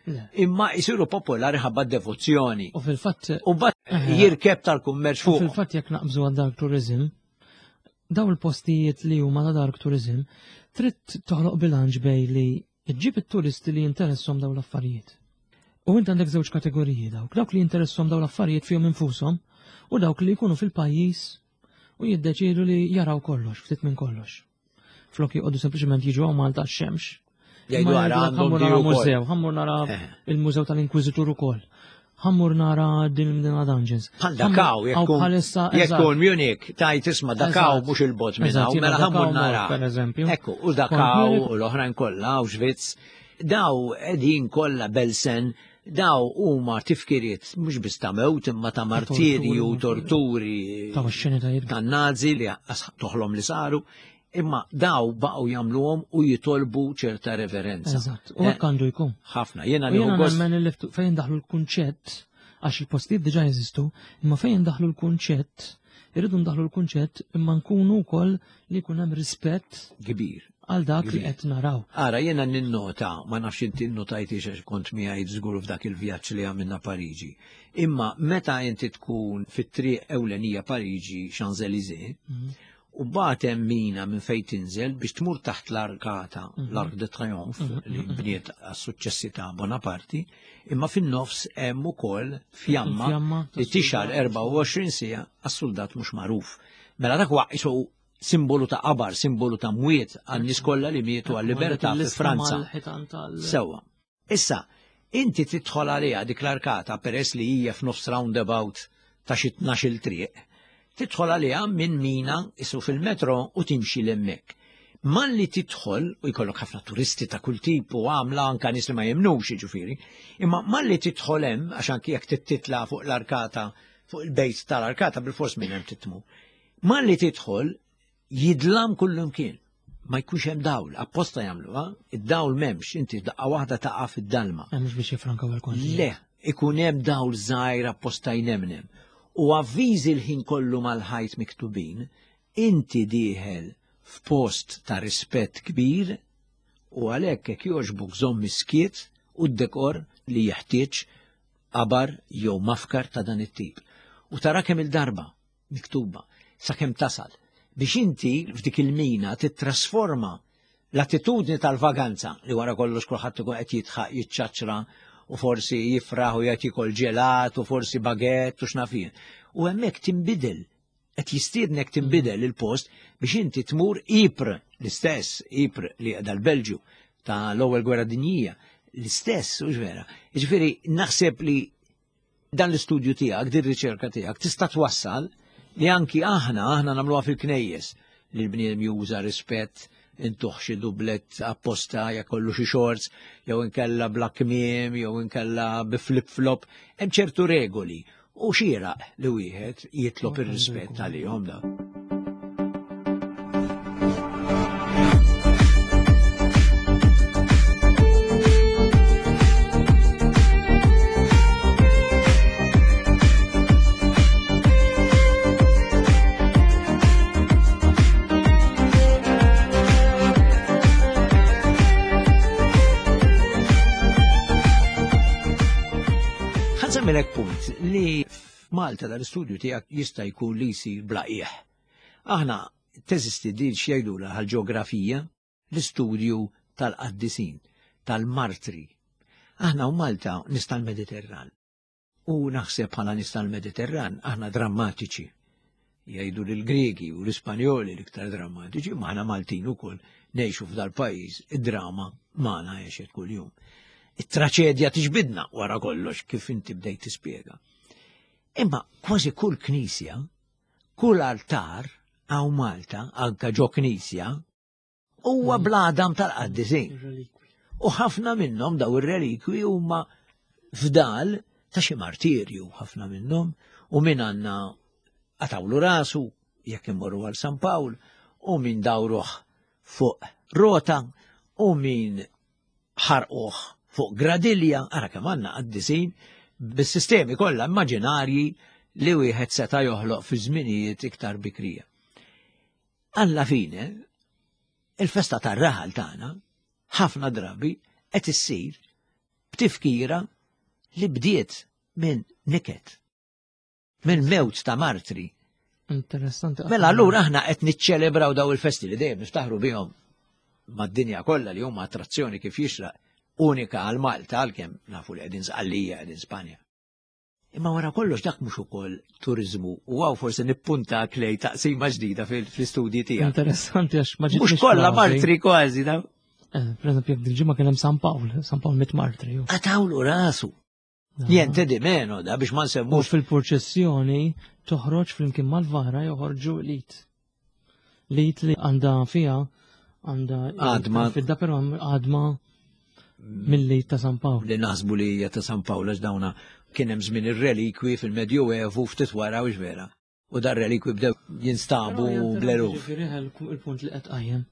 imma jisiru popolari ħabba devozzjoni. U fil-fatt u bat eh, jirkeb tal-kummerċ fuq. Fil-fatt jekk naqbżu għal dark tourism, daw il-postijiet li huma ta' dark tourism, trid toħloq bilanċ bej li ġġib it-turisti li jinteressom daw l-affarijiet. U int għandek żewġ kategoriji dawk, dawk li jinteressom daw l-affarijiet fihom infushom u dawk li jkunu fil-pajjiż u jiddeċiedu li jaraw kollox, ftit minn kollox. Flok joqogħdu sempliċement jiġu hawn Malta x-xemx. Jgħidu għara ħammur nara mużew, ħammur nara eh. il-mużew tal-Inkwiżitur ukoll. Ħammur nara din il-Mdina Dungeons. Bħal Dakaw, jekk Munich, tajt isma Dakaw mhux il-bot minn hawn, mela ħammur nara. Per eżempju. Ekku, u Dakaw u l-oħrajn kollha, u Xviz. Daw qegħdin kollha Belsen. Daw huma tifkiriet mhux biss ta' mewt imma ta' martirji u torturi ta' xenitajiet tan-Nazi li toħlom li saru, imma daw baqgħu jagħmluhom u jitolbu ċerta reverenza. Eżatt, u hekk għandu jkun. Ħafna, jiena nieħu gost. Nemmen li fejn daħlu l-kunċett għax il-postijiet diġà jeżistu, imma fejn daħlu l-kunċett, irridu ndaħlu l-kunċett imma nkunu wkoll li jkun hemm rispett kbir għal dak li qed naraw. Ara, jiena ninnota, ma nafx inti nnotajtix għax kont miegħi żgur f'dak il-vjaġġ li għamilna Pariġi. Imma meta inti tkun fit-triq ewlenija Pariġi Champs-Élysées, u mbagħad hemm mina minn fejn tinżel biex tmur taħt l-arkata, l-Arc de Triomphe, li bniet għas-suċċessi ta' Bonaparte, imma fin-nofs hemm ukoll fjamma li tixgħal 24 siegħa għas-suldat mhux magħruf. Mela dak huwa qisu simbolu ta' qabar, simbolu ta' mwiet għan-nies kollha li mietu għal-libertà fi Franza. Sewwa. Issa, inti tidħol għaliha dik l-arkata peress li hija f'nofs roundabout ta' xi tnax-il triq, tidħol għaliha minn mina isu fil-metro u timxi 'l hemmhekk. Malli tidħol, u jkollok ħafna turisti ta' kull tip u għamla anka nies li ma jemmnux jiġifieri, imma malli tidħol hemm, għax anki jekk titla' fuq l-arkata, fuq il-bejt tal-arkata bilfors minn hemm titmu. Malli tidħol, jidlam kullimkien. Ma jkunx hemm dawl, apposta jagħmluha, id-dawl m'hemmx, inti daqqa waħda taqa' fid-dalma. Mhux biex jifrankaw il-konti. Le, ikun hemm dawl żgħir apposta jnemnem. U avviżi l-ħin kollu mal-ħajt miktubin, inti dieħel f'post ta' rispett kbir u għalhekk jekk jogħġbok żomm is-skiet u d-dekor li jeħtieġ qabar jew mafkar ta' dan it-tip. U tara kemm il-darba miktuba sakemm tasal biex inti f'dik il-mina tittrasforma l-attitudni tal-vaganza li wara kollox kulħadd ikun qed jidħaq jiċċaċra u forsi jifraħ u jgħid jikol ġelat u forsi bagett u x'naf jien. U hemmhekk tinbidel qed jistiednek tinbidel il-post biex inti tmur Ypres, l-istess Ypres li qiegħda l-Belġju ta' l-ewwel gwerra dinjija, l-istess, hux vera. Jiġifieri naħseb li Dan l-istudju tiegħek, din riċerka tiegħek tista' twassal li anki aħna, aħna nagħmluha fil-knejjes, li l-bniedem juża rispett, intuh xi dublet apposta jekk kollu xi shorts, jew inkella bla kmiem, jew inkella bi flip-flop, hemm ċertu regoli u xieraq li wieħed jitlob ir-rispett għalihom da. Ħansemmilek punt li F'Malta dal-istudju tiegħek jista' jkun li jsir bla qiegħ. Aħna teżisti din x'jgħidulha ħal-ġeografija, l-istudju tal-qaddisin, tal-martri. Aħna u Malta nies tal-Mediterran. U naħseb bħala nies tal-Mediterran aħna drammatiċi. Jgħidu li l-Griegi u l-Ispanjoli l-iktar drammatiċi, ma aħna Maltin ukoll ngħixu f'dal-pajjiż, id-drama magħna għexet kuljum. It-traċedja tiġbidna wara kollox kif inti bdejt tispjega. Imma kważi kull knisja, kull altar hawn Malta, anka ġo knisja, huwa bl-għadam tal-qaddisin. U ħafna minnhom daw ir-relikwi huma fdal ta' xi martirju ħafna minnhom u min għandna qatawlu rasu jekk immorru għal San Pawl u min dawruh fuq rota u min ħarquh fuq gradilja, ara kemm għandna qaddisin bis-sistemi kollha immaġinarji li wieħed seta' joħloq fi żminijiet iktar bikrija. Alla fine, il-festa tar-raħal tagħna ħafna drabi qed issir b'tifkira li bdiet minn niket. minn mewt ta' martri. Interessanti. Mela allura aħna qed niċċelebraw daw il-festi li dejjem niftaħru bihom mad-dinja kollha li huma attrazzjoni kif jixraq unika għal Malta għalkemm nafu li qegħdin Sqallija qegħdin Spanja. Imma wara kollox dak mhux ukoll turiżmu u għaw forsi nippunta klej taqsima ġdida fl-istudji tiegħek. Interessanti għax ma Mhux kollha martri kważi da. Eh, per eżempju, jekk dil-ġimgħa kien hemm San Pawl, San Pawl mit martri. Qatawlu rasu. Niente di meno da biex ma nsemmux. U fil-purċessjoni toħroġ flimkien mal-vara joħorġu lit. Lit li għandha fiha għandha għadma. Fidda però għadma. Milli ta' San Pawl. Li naħsbu li hija ta' San Pawl għax dawna kien hemm żmien ir-relikwi fil-Medjuevu ftit wara u vera. U dar relikwi bdew jinstabu bl-eluf. Il-punt li qed qajjem.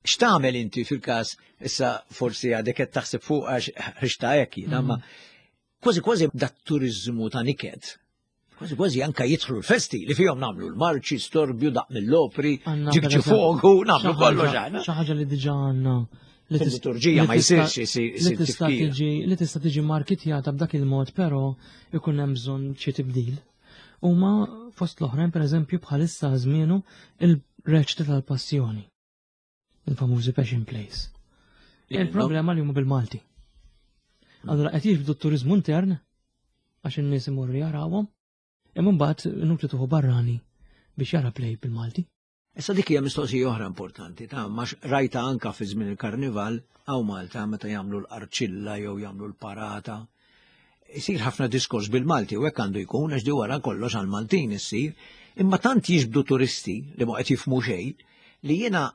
X'tagħmel inti fil-każ issa forsi għadek qed taħseb fuq għax ħriġta hekk jiena, ma mm. kważi kważi dat turiżmu ta' niket. Kważi kważi anka jidħlu l-festi li fihom nagħmlu l-marċi, storbju, daq mill-opri, ġikġi fogu, nagħmlu kollox aħna. Xi ħaġa li diġà għandna li liturġija ma jsirx isir tista' tiġi li tista' tiġi markitjata b'dak il-mod, però ikun hemm bżonn xi tibdil. Huma fost l-oħrajn pereżempju bħalissa żmienu il-reċti tal-passjoni. Il-famużi Passion Plays. Il-problema li huma bil-Malti. Allora qed jiġbdu t-turizmu intern għax in-nies imorru jarawhom, imma mbagħad inutli tuħu barrani biex jara play bil-Malti. Issa dik hija mistoqsija oħra importanti ta' ma rajta anka fi żmien il-karnival hawn Malta meta jagħmlu l-qarċilla jew jagħmlu l-parata. Isir ħafna diskors bil-Malti u hekk għandu jkun għax di wara kollox għal Maltin issir, imma tant jiġbdu turisti li ma qed jifhmu xejn li jiena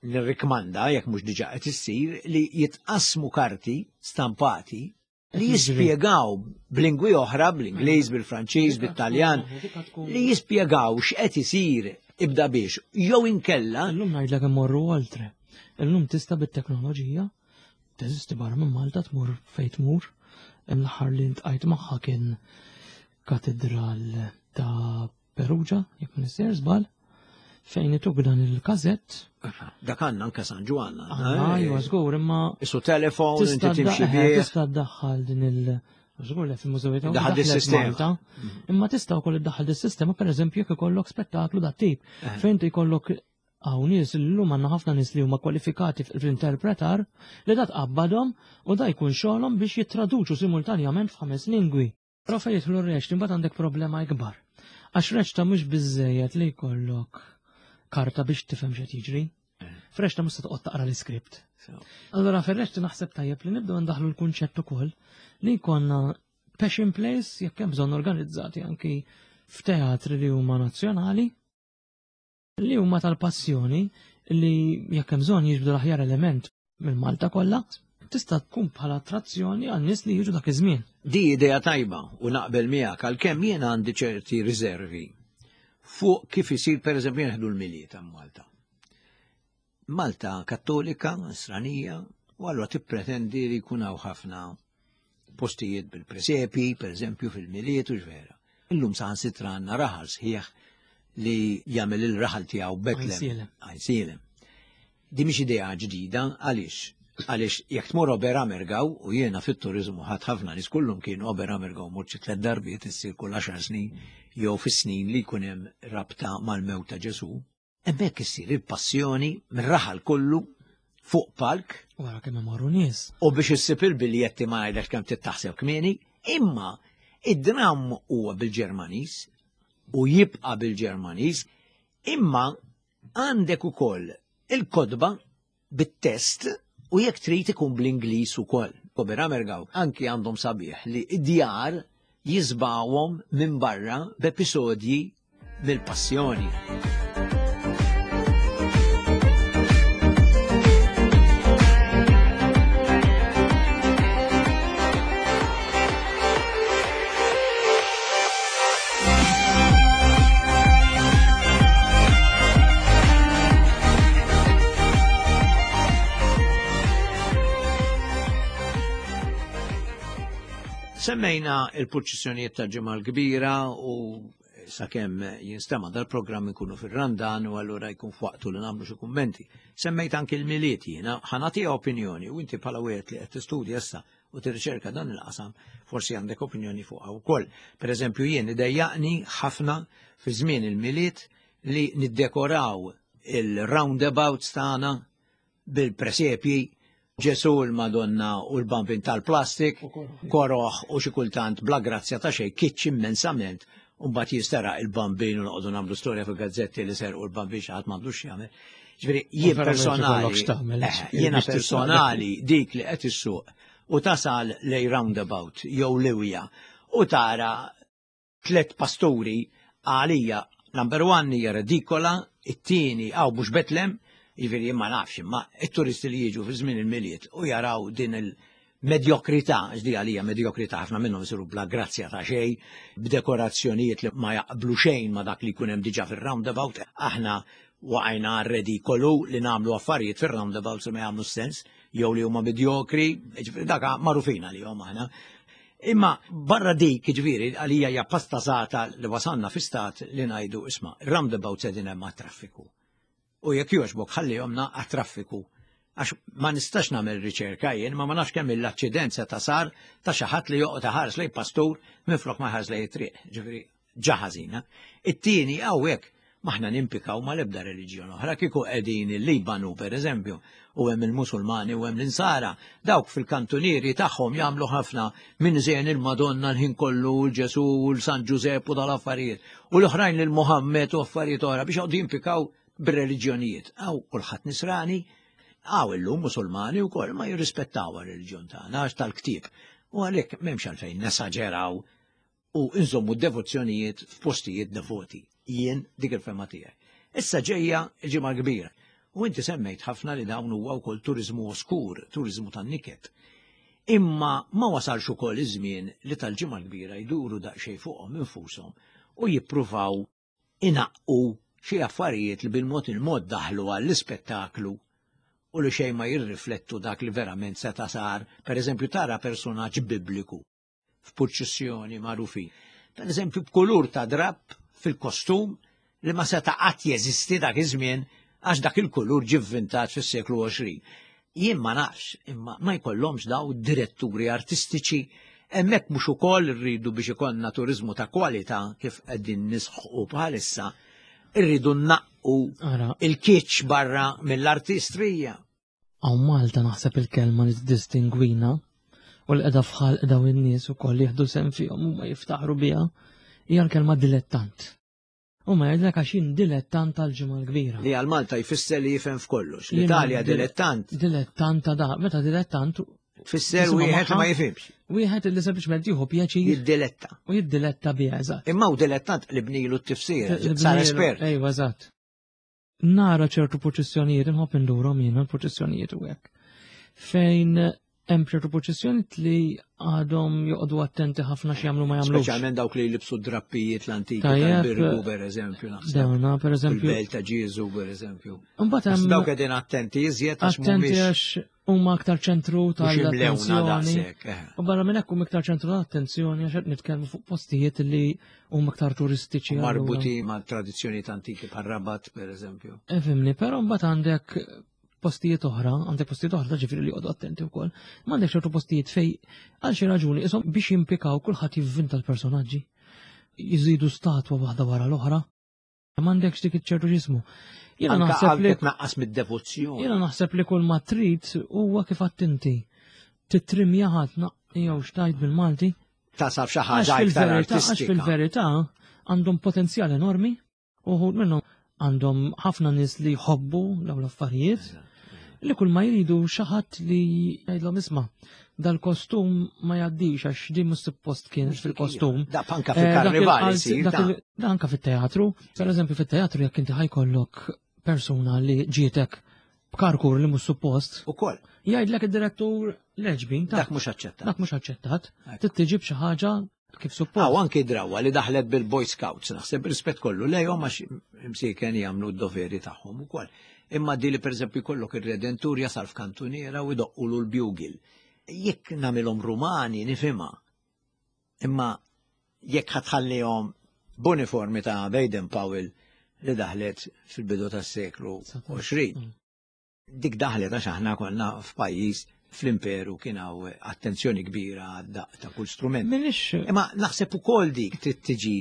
nirrikmanda jekk mhux diġà qed issir li jitqassmu karti stampati li jispjegaw b'lingwi oħra, bl-Ingliż, bil-Franċiż, bit-Taljan, li jispjegaw x'qed isir ibda biex jew inkella. Illum ngħidlek immorru oltre. Illum tista' bit-teknoloġija teżisti barra minn Malta tmur fejn tmur. L-aħħar li ntqajt magħha kien katedral ta' Perugia, jekk ma nisser żball, fejn ituk dan il-kazett. Dak għandna anke San Ġwann. Ajwa, żgur, imma. Isu telefon, inti timxi bih. Tista' ddaħħal din il- Żgur li fil-mużewiet Daħal dis-sistema. Mhm. Imma tista' wkoll iddaħħal dis-sistema pereżempju jekk ikollok spettaklu dat tip. Eh. Fejn jkollok hawn nies illum għandna ħafna nies li huma kwalifikati fl-interpretar li da tqabbadhom u da jkun xogħolhom biex jittraduċu simultanjament f'ħames lingwi. Però fejn jidħlu r-reċti imbagħad għandek problema ikbar. Għax reċta mhux biżejjed li jkollok karta biex tifhem x'qed jiġri. F'reċta mhux se toqgħod taqra l-iskript. Allura fir-reċti naħseb tajjeb li nibdew ndaħlu l-kunċett ukoll li jkollna passion plays jekk hemm bżonn organizzati anki f'teatri li huma nazzjonali li huma tal-passjoni li jekk hemm bżonn jiġbdu l-aħjar element minn Malta kollha, tista' tkun bħala attrazzjoni għan nies li jiġu dak iż-żmien. Di idea tajba u naqbel miegħek għalkemm jiena għandi ċerti riservi fuq kif isir pereżempju nieħdu l-Milied ta' Malta. Malta Kattolika, Nisranija, u allura tippretendi li jkun hawn ħafna postijiet bil-presepi, per eżempju fil-Milied u ġvera. Illum saħansitra għandna raħal sħiħ li jagħmel il-raħal tiegħu Betlem. Għajnsielem. Di mhix idea ġdida għaliex għaliex jekk tmur Oberammergau u jiena fit-turizmu ħadd ħafna nies kullum kienu Oberammergau mort xi tliet darbiet issir kull għaxar snin jew fis-snin li jkun hemm rabta mal-mewt ta' Ġesu. Hemmhekk issir il-passjoni mir-raħal kollu fuq palk. Wara kemm imorru nies. U biex issib il-biljetti ma ngħidlek kemm tittaħseb kmieni, imma id-dramm huwa bil-Ġermaniż u jibqa' bil-Ġermaniż, imma għandek ukoll il-kotba bit-test u jekk trid ikun bl-Ingliż ukoll. Oberammergau anki għandhom sabiħ li id-djar jiżbawhom minn barra b'episodji mill-passjoni. Semmejna il-purċissjonijiet tal-Ġimgħa l-Kbira u sakemm jinstema' dal-programm ikunu fir-Randan u allura jkun f'waqtu li nagħmlu xi kummenti. Semmejt anki l-Milied jiena, ħa nagħtiha opinjoni u inti bħala wieħed li qed tistudja issa u tirriċerka dan il-qasam, forsi għandek opinjoni fuqha wkoll. Per eżempju, jien idejjaqni ħafna fi żmien il-Milied li niddekoraw il-roundabouts tagħna bil-presepji Ġesu l-Madonna u l-bambin tal-plastik, koroħ u xi kultant bla grazzja ta' xejn kitx immensament u mbagħad jisteraq il-bambin u noqogħdu nagħmlu storja fil-gazzetti li serqu l-bambin xi ħadd m'għandux jagħmel. Ġifieri jien personali, eh, jiena personali dik li qed issuq u tasal lej roundabout jew liwja u tara tlet pasturi għalija number one hija redikola, it-tieni għaw mhux Betlem, Jiġifieri jien ma nafx imma it-turisti li jiġu fi żmien il-Milied u jaraw din il-medjokrità, għax di għalija medjokrità ħafna minnhom isiru bla grazzja ta' xejn, b'dekorazzjonijiet li ma jaqblu xejn ma dak li jkun hemm diġà fir-roundabout. Aħna waqajna għar-redikolu li nagħmlu affarijiet fir-roundabouts li ma jagħmlu sens jew li huma medjokri, jiġifieri dak magħrufin għalihom aħna. Imma barra dik, jiġifieri, għalija hija pastasata li wasalna fi stat li ngħidu isma' roundabout sedin hemm għat-traffiku. U jekk jogħġbok ħallihomna għat-traffiku. Għax ma nistax nagħmel riċerka jien, ma ma nafx kemm l-aċċident seta' sar ta' xi ħadd li joqgħod iħares lejn pastur minflok ma jħares lejn it-triq. Ġifieri ġa ħażina. It-tieni hawnhekk m'aħna nimpikaw mal-ebda reliġjon oħra, kieku qegħdin il-Libanu pereżempju, u hemm il-Musulmani u hemm l-Insara, dawk fil-kantunieri tagħhom jagħmlu ħafna minn żejn il-Madonna l-ħin kollu u l-Ġesù u l-San Ġużepp u dal-affarijiet, u l-oħrajn lil Muhammed u affarijiet oħra biex joqogħdu jimpikaw bir-reliġjonijiet. Hawn kulħadd nisrani, hawn illum Musulmani wkoll ma jirrispettaw ir-reliġjon tagħna għax tal-ktieb. U għalhekk m'hemmx għalfejn nesaġeraw u nżommu d-devozzjonijiet f'postijiet devoti. Jien dik il-fema tiegħi. Issa ġejja l-ġimgħa kbira. U inti semmejt ħafna li dawn huwa wkoll turiżmu oskur, turiżmu tan-niket. Imma ma wasalx ukoll iż-żmien li tal-ġimgħa kbira jduru daqsxejn fuqhom infushom u jippruvaw inaqqu xi affarijiet li bil-mod il-mod daħlu għall-ispettaklu u li xejn ma jirriflettu dak li verament seta' sar, per eżempju tara personaġġ bibliku f'purċissjoni magħrufin. Per eżempju b'kulur ta' drapp fil-kostum li ma seta' qatt jeżisti dak iż-żmien għax dak il-kulur ġie vvintat fis-seklu 20. Jien ma nafx, imma ma jkollhomx daw diretturi artistiċi hemmhekk mhux ukoll irridu biex ikollna turiżmu ta' kwalità kif qegħdin nisħqu bħalissa, irridu nnaqqu il-kitsch barra mill-artistrija. Hawn Malta naħseb il-kelma li tiddistingwina u li qiegħda f'ħalq dawn in-nies ukoll jieħdu sehem fihom huma jiftaħru biha hija l-kelma dilettant. Huma jgħidlek għax jien dilettant tal-ġimgħa l-kbira. Li għal Malta jfisser li jifhem f'kollox. L-Italja dilettant. Dilettant ta' da, meta dilettant Tfisser wieħed li ma jifhimx. Wieħed li sempliċement jieħu pjaċir. Jiddiletta. U jiddiletta biha, eżatt. Imma u dilettant li bnilu t-tifsir, sar espert. Ejwa, eżatt. Nara ċertu purċissjonijiet, inħobb indurhom jiena l-purċissjonijiet u hekk. Fejn hemm ċertu purċissjonijiet li għadhom joqogħdu attenti ħafna x'jagħmlu ma jagħmlux. Speċjalment dawk li jlibsu drappijiet l-antiki tal-Birgu pereżempju naħseb. Dawna pereżempju. Il-Belt ta' Ġieżu pereżempju. Imbagħad hemm dawk qegħdin attenti iżjed għax attenti għax huma aktar ċentru tal-attenzjoni. Eh. U barra minn hekk huma iktar ċentru tal-attenzjoni għax qed nitkellmu fuq postijiet li huma aktar turistiċi. Marbuti ma' tradizzjonijiet antiki bħal Rabat pereżempju. Efimni, eh, però mbagħad għandek postijiet oħra, għandek postijiet oħra ġifieri li joqgħodu attenti wkoll, ma għandek ċertu postijiet fej għal xi raġuni ishom biex jimpikaw kulħadd jivvinta l-personaġġi. Jiżidu statwa waħda wara l-oħra. M'għandekx dik iċ-ċertu ġismu. Jiena naħseb li tnaqqas mid-devozzjoni. Jiena naħseb li kull ma trid huwa kif għattinti. Titrimja ħadd jew xtajt bil-Malti. Tasab xi ħaġa iktar artistika. Għax fil-verità għandhom potenzjal enormi uħud minnhom għandhom ħafna nies li jħobbu dawn l-affarijiet li kull ma jridu xi ħadd li jgħidlhom isma' dal-kostum ma jgħaddix għax din mhux suppost kien fil-kostum. Da anka eh, fil-karnival isir. Da anka fit-teatru. Per eżempju fit-teatru jekk inti ħajkollok persuna li ġietek b'karkur li mhux suppost. Ukoll. Jgħidlek id-direttur leġbin ta' Dak mhux aċċettat. Dak mhux aċċettat. Trid xi ħaġa kif suppost. Aw anki drawa li daħlet bil-Boy Scouts, naħseb rispett kollu lejhom għax imsieken jagħmlu d-doveri tagħhom ukoll. Imma di li pereżempju jkollok ir-redentur jasal f'kantuniera u jdoqqulu l-bugil. Jekk nagħmilhom Rumani nifhimha. Imma jekk ħatħallihom b'uniformi ta' Baden Powell li daħlet fil-bidu tas-seklu 20. Dik daħlet għax aħna konna f'pajjiż fl-imperu kien hawn attenzjoni kbira għad-daqq ta' kull strument. Minix. Imma naħseb ukoll dik trid tiġi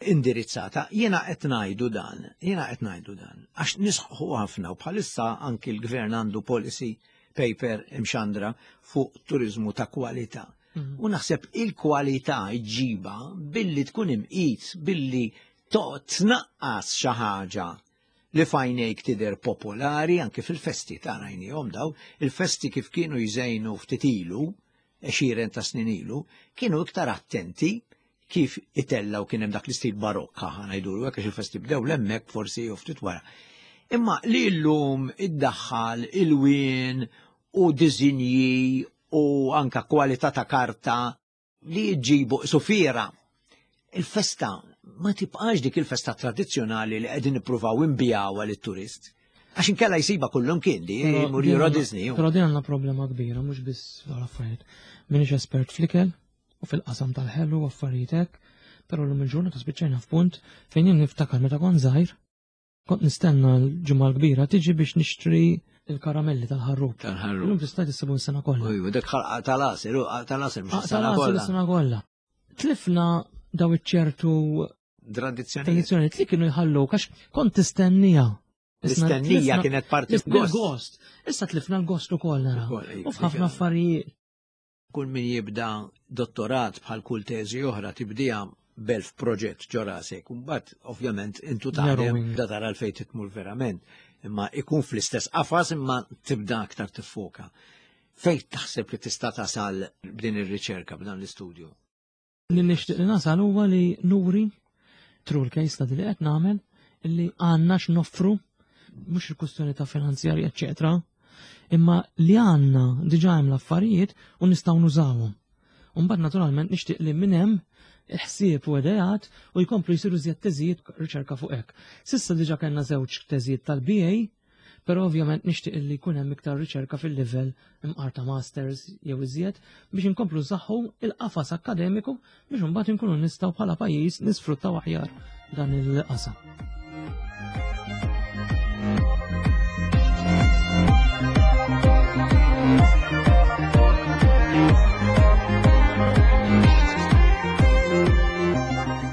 indirizzata. Jiena qed ngħidu dan, jiena qed ngħidu dan, għax nisħu ħafna u bħalissa anki l-gvern għandu policy paper imxandra fuq turiżmu ta' kwalità. Mhm. U naħseb il-kwalità ġiba billi tkun imqis, billi toqgħod tnaqqas xi ħaġa li f'għajnejk tidher popolari anke fil-festi ta' rajnihom daw, il-festi kif kienu jżejnu ftit ilu, għexieren ta' snin ilu, kienu iktar attenti kif itellaw kien hemm dak l-istil barokka ħa ngħidulu hekk għax il-festi bdew l-hemmhekk forsi jew ftit wara. Imma li llum iddaħħal ilwien u diżinji u anka kwalità ta' karta li jġibu sufiera. Il-festa ma tibqax dik il-festa tradizzjonali li qegħdin nippruvaw inbijawha lit-turist. Għax inkella jsiba kullum kien di, jmur Euro Disney. Però din għandna problema kbira, mhux biss l-affarijiet. Minix espert fl-ikel u fil-qasam tal-ħelu u affarijiet hekk, però l-lum il-ġurnata spiċċajna f'punt fejn jien niftakar meta kont żgħir, kont nistenna l-ġimgħa l-kbira tiġi biex nixtri il-karamelli tal-ħarrub. Tal-ħarrub. Illum tista' tissibu s-sena kollha. Ujju, dak ħalqa tal-għasir, tal-għasir mhux is-sena kollha. Sena kollha. Tlifna daw iċ-ċertu tradizzjoni tradizzjonijiet li kienu jħallu għax kont tistennija. L-istennija kienet parti gost. Issa tlifna l-gost ukoll nara. U f'ħafna affarijiet. Kull min jibda dottorat bħal kull teżi oħra tibdija belf proġett ġo rasek. Mbagħad ovvjament intu taħdem da tara l-fejn titmur verament. Imma ikun fl-istess qafas imma tibda aktar tiffoka. Fejn taħseb li tista' tasal b'din ir-riċerka b'dan l-istudju? Li nixtieq li nasal huwa li nuri through l-case study li qed nagħmel illi għandna x'noffru mhux il-kwistjoni ta' finanzjarja eċċetera, imma li għandna diġà hemm l-affarijiet u nistgħu nużawhom. U mbagħad naturalment nixtieq li minn hemm ħsieb u ideat u jkomplu jsiru żjed teżijiet riċerka fuq hekk. Sissa diġà kellna żewġ teżijiet tal-BA, però ovvjament nixtieq li jkun hemm iktar riċerka fil-livell imqar ta' masters jew iżjed biex inkomplu nsaħħu il-qafas akkademiku biex imbagħad inkunu nistgħu bħala pajjiż nisfruttaw aħjar dan il-qasam.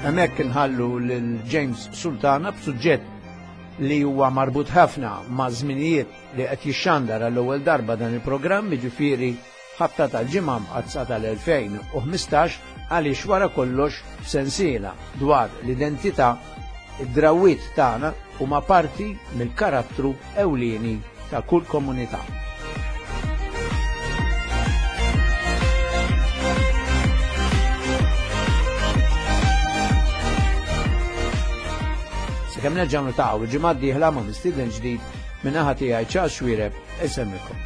Hemmhekk inħallu lil James Sultana b'suġġett li huwa marbut ħafna ma' żminijiet li qed jixxandar għall-ewwel darba dan il-programm, jiġifieri ħabta tal-Ġimgħa Mqaddsa tal-2015 għaliex wara kollox f'sensiela dwar l-identità, id-drawwiet tagħna huma parti mill-karattru ewlieni ta' kull komunità. Sakemm nerġgħu niltaqgħu il-ġimgħa d-dieħla ma' mistieden ġdid minn naħa tiegħi Charles Xuereb insemmilkom.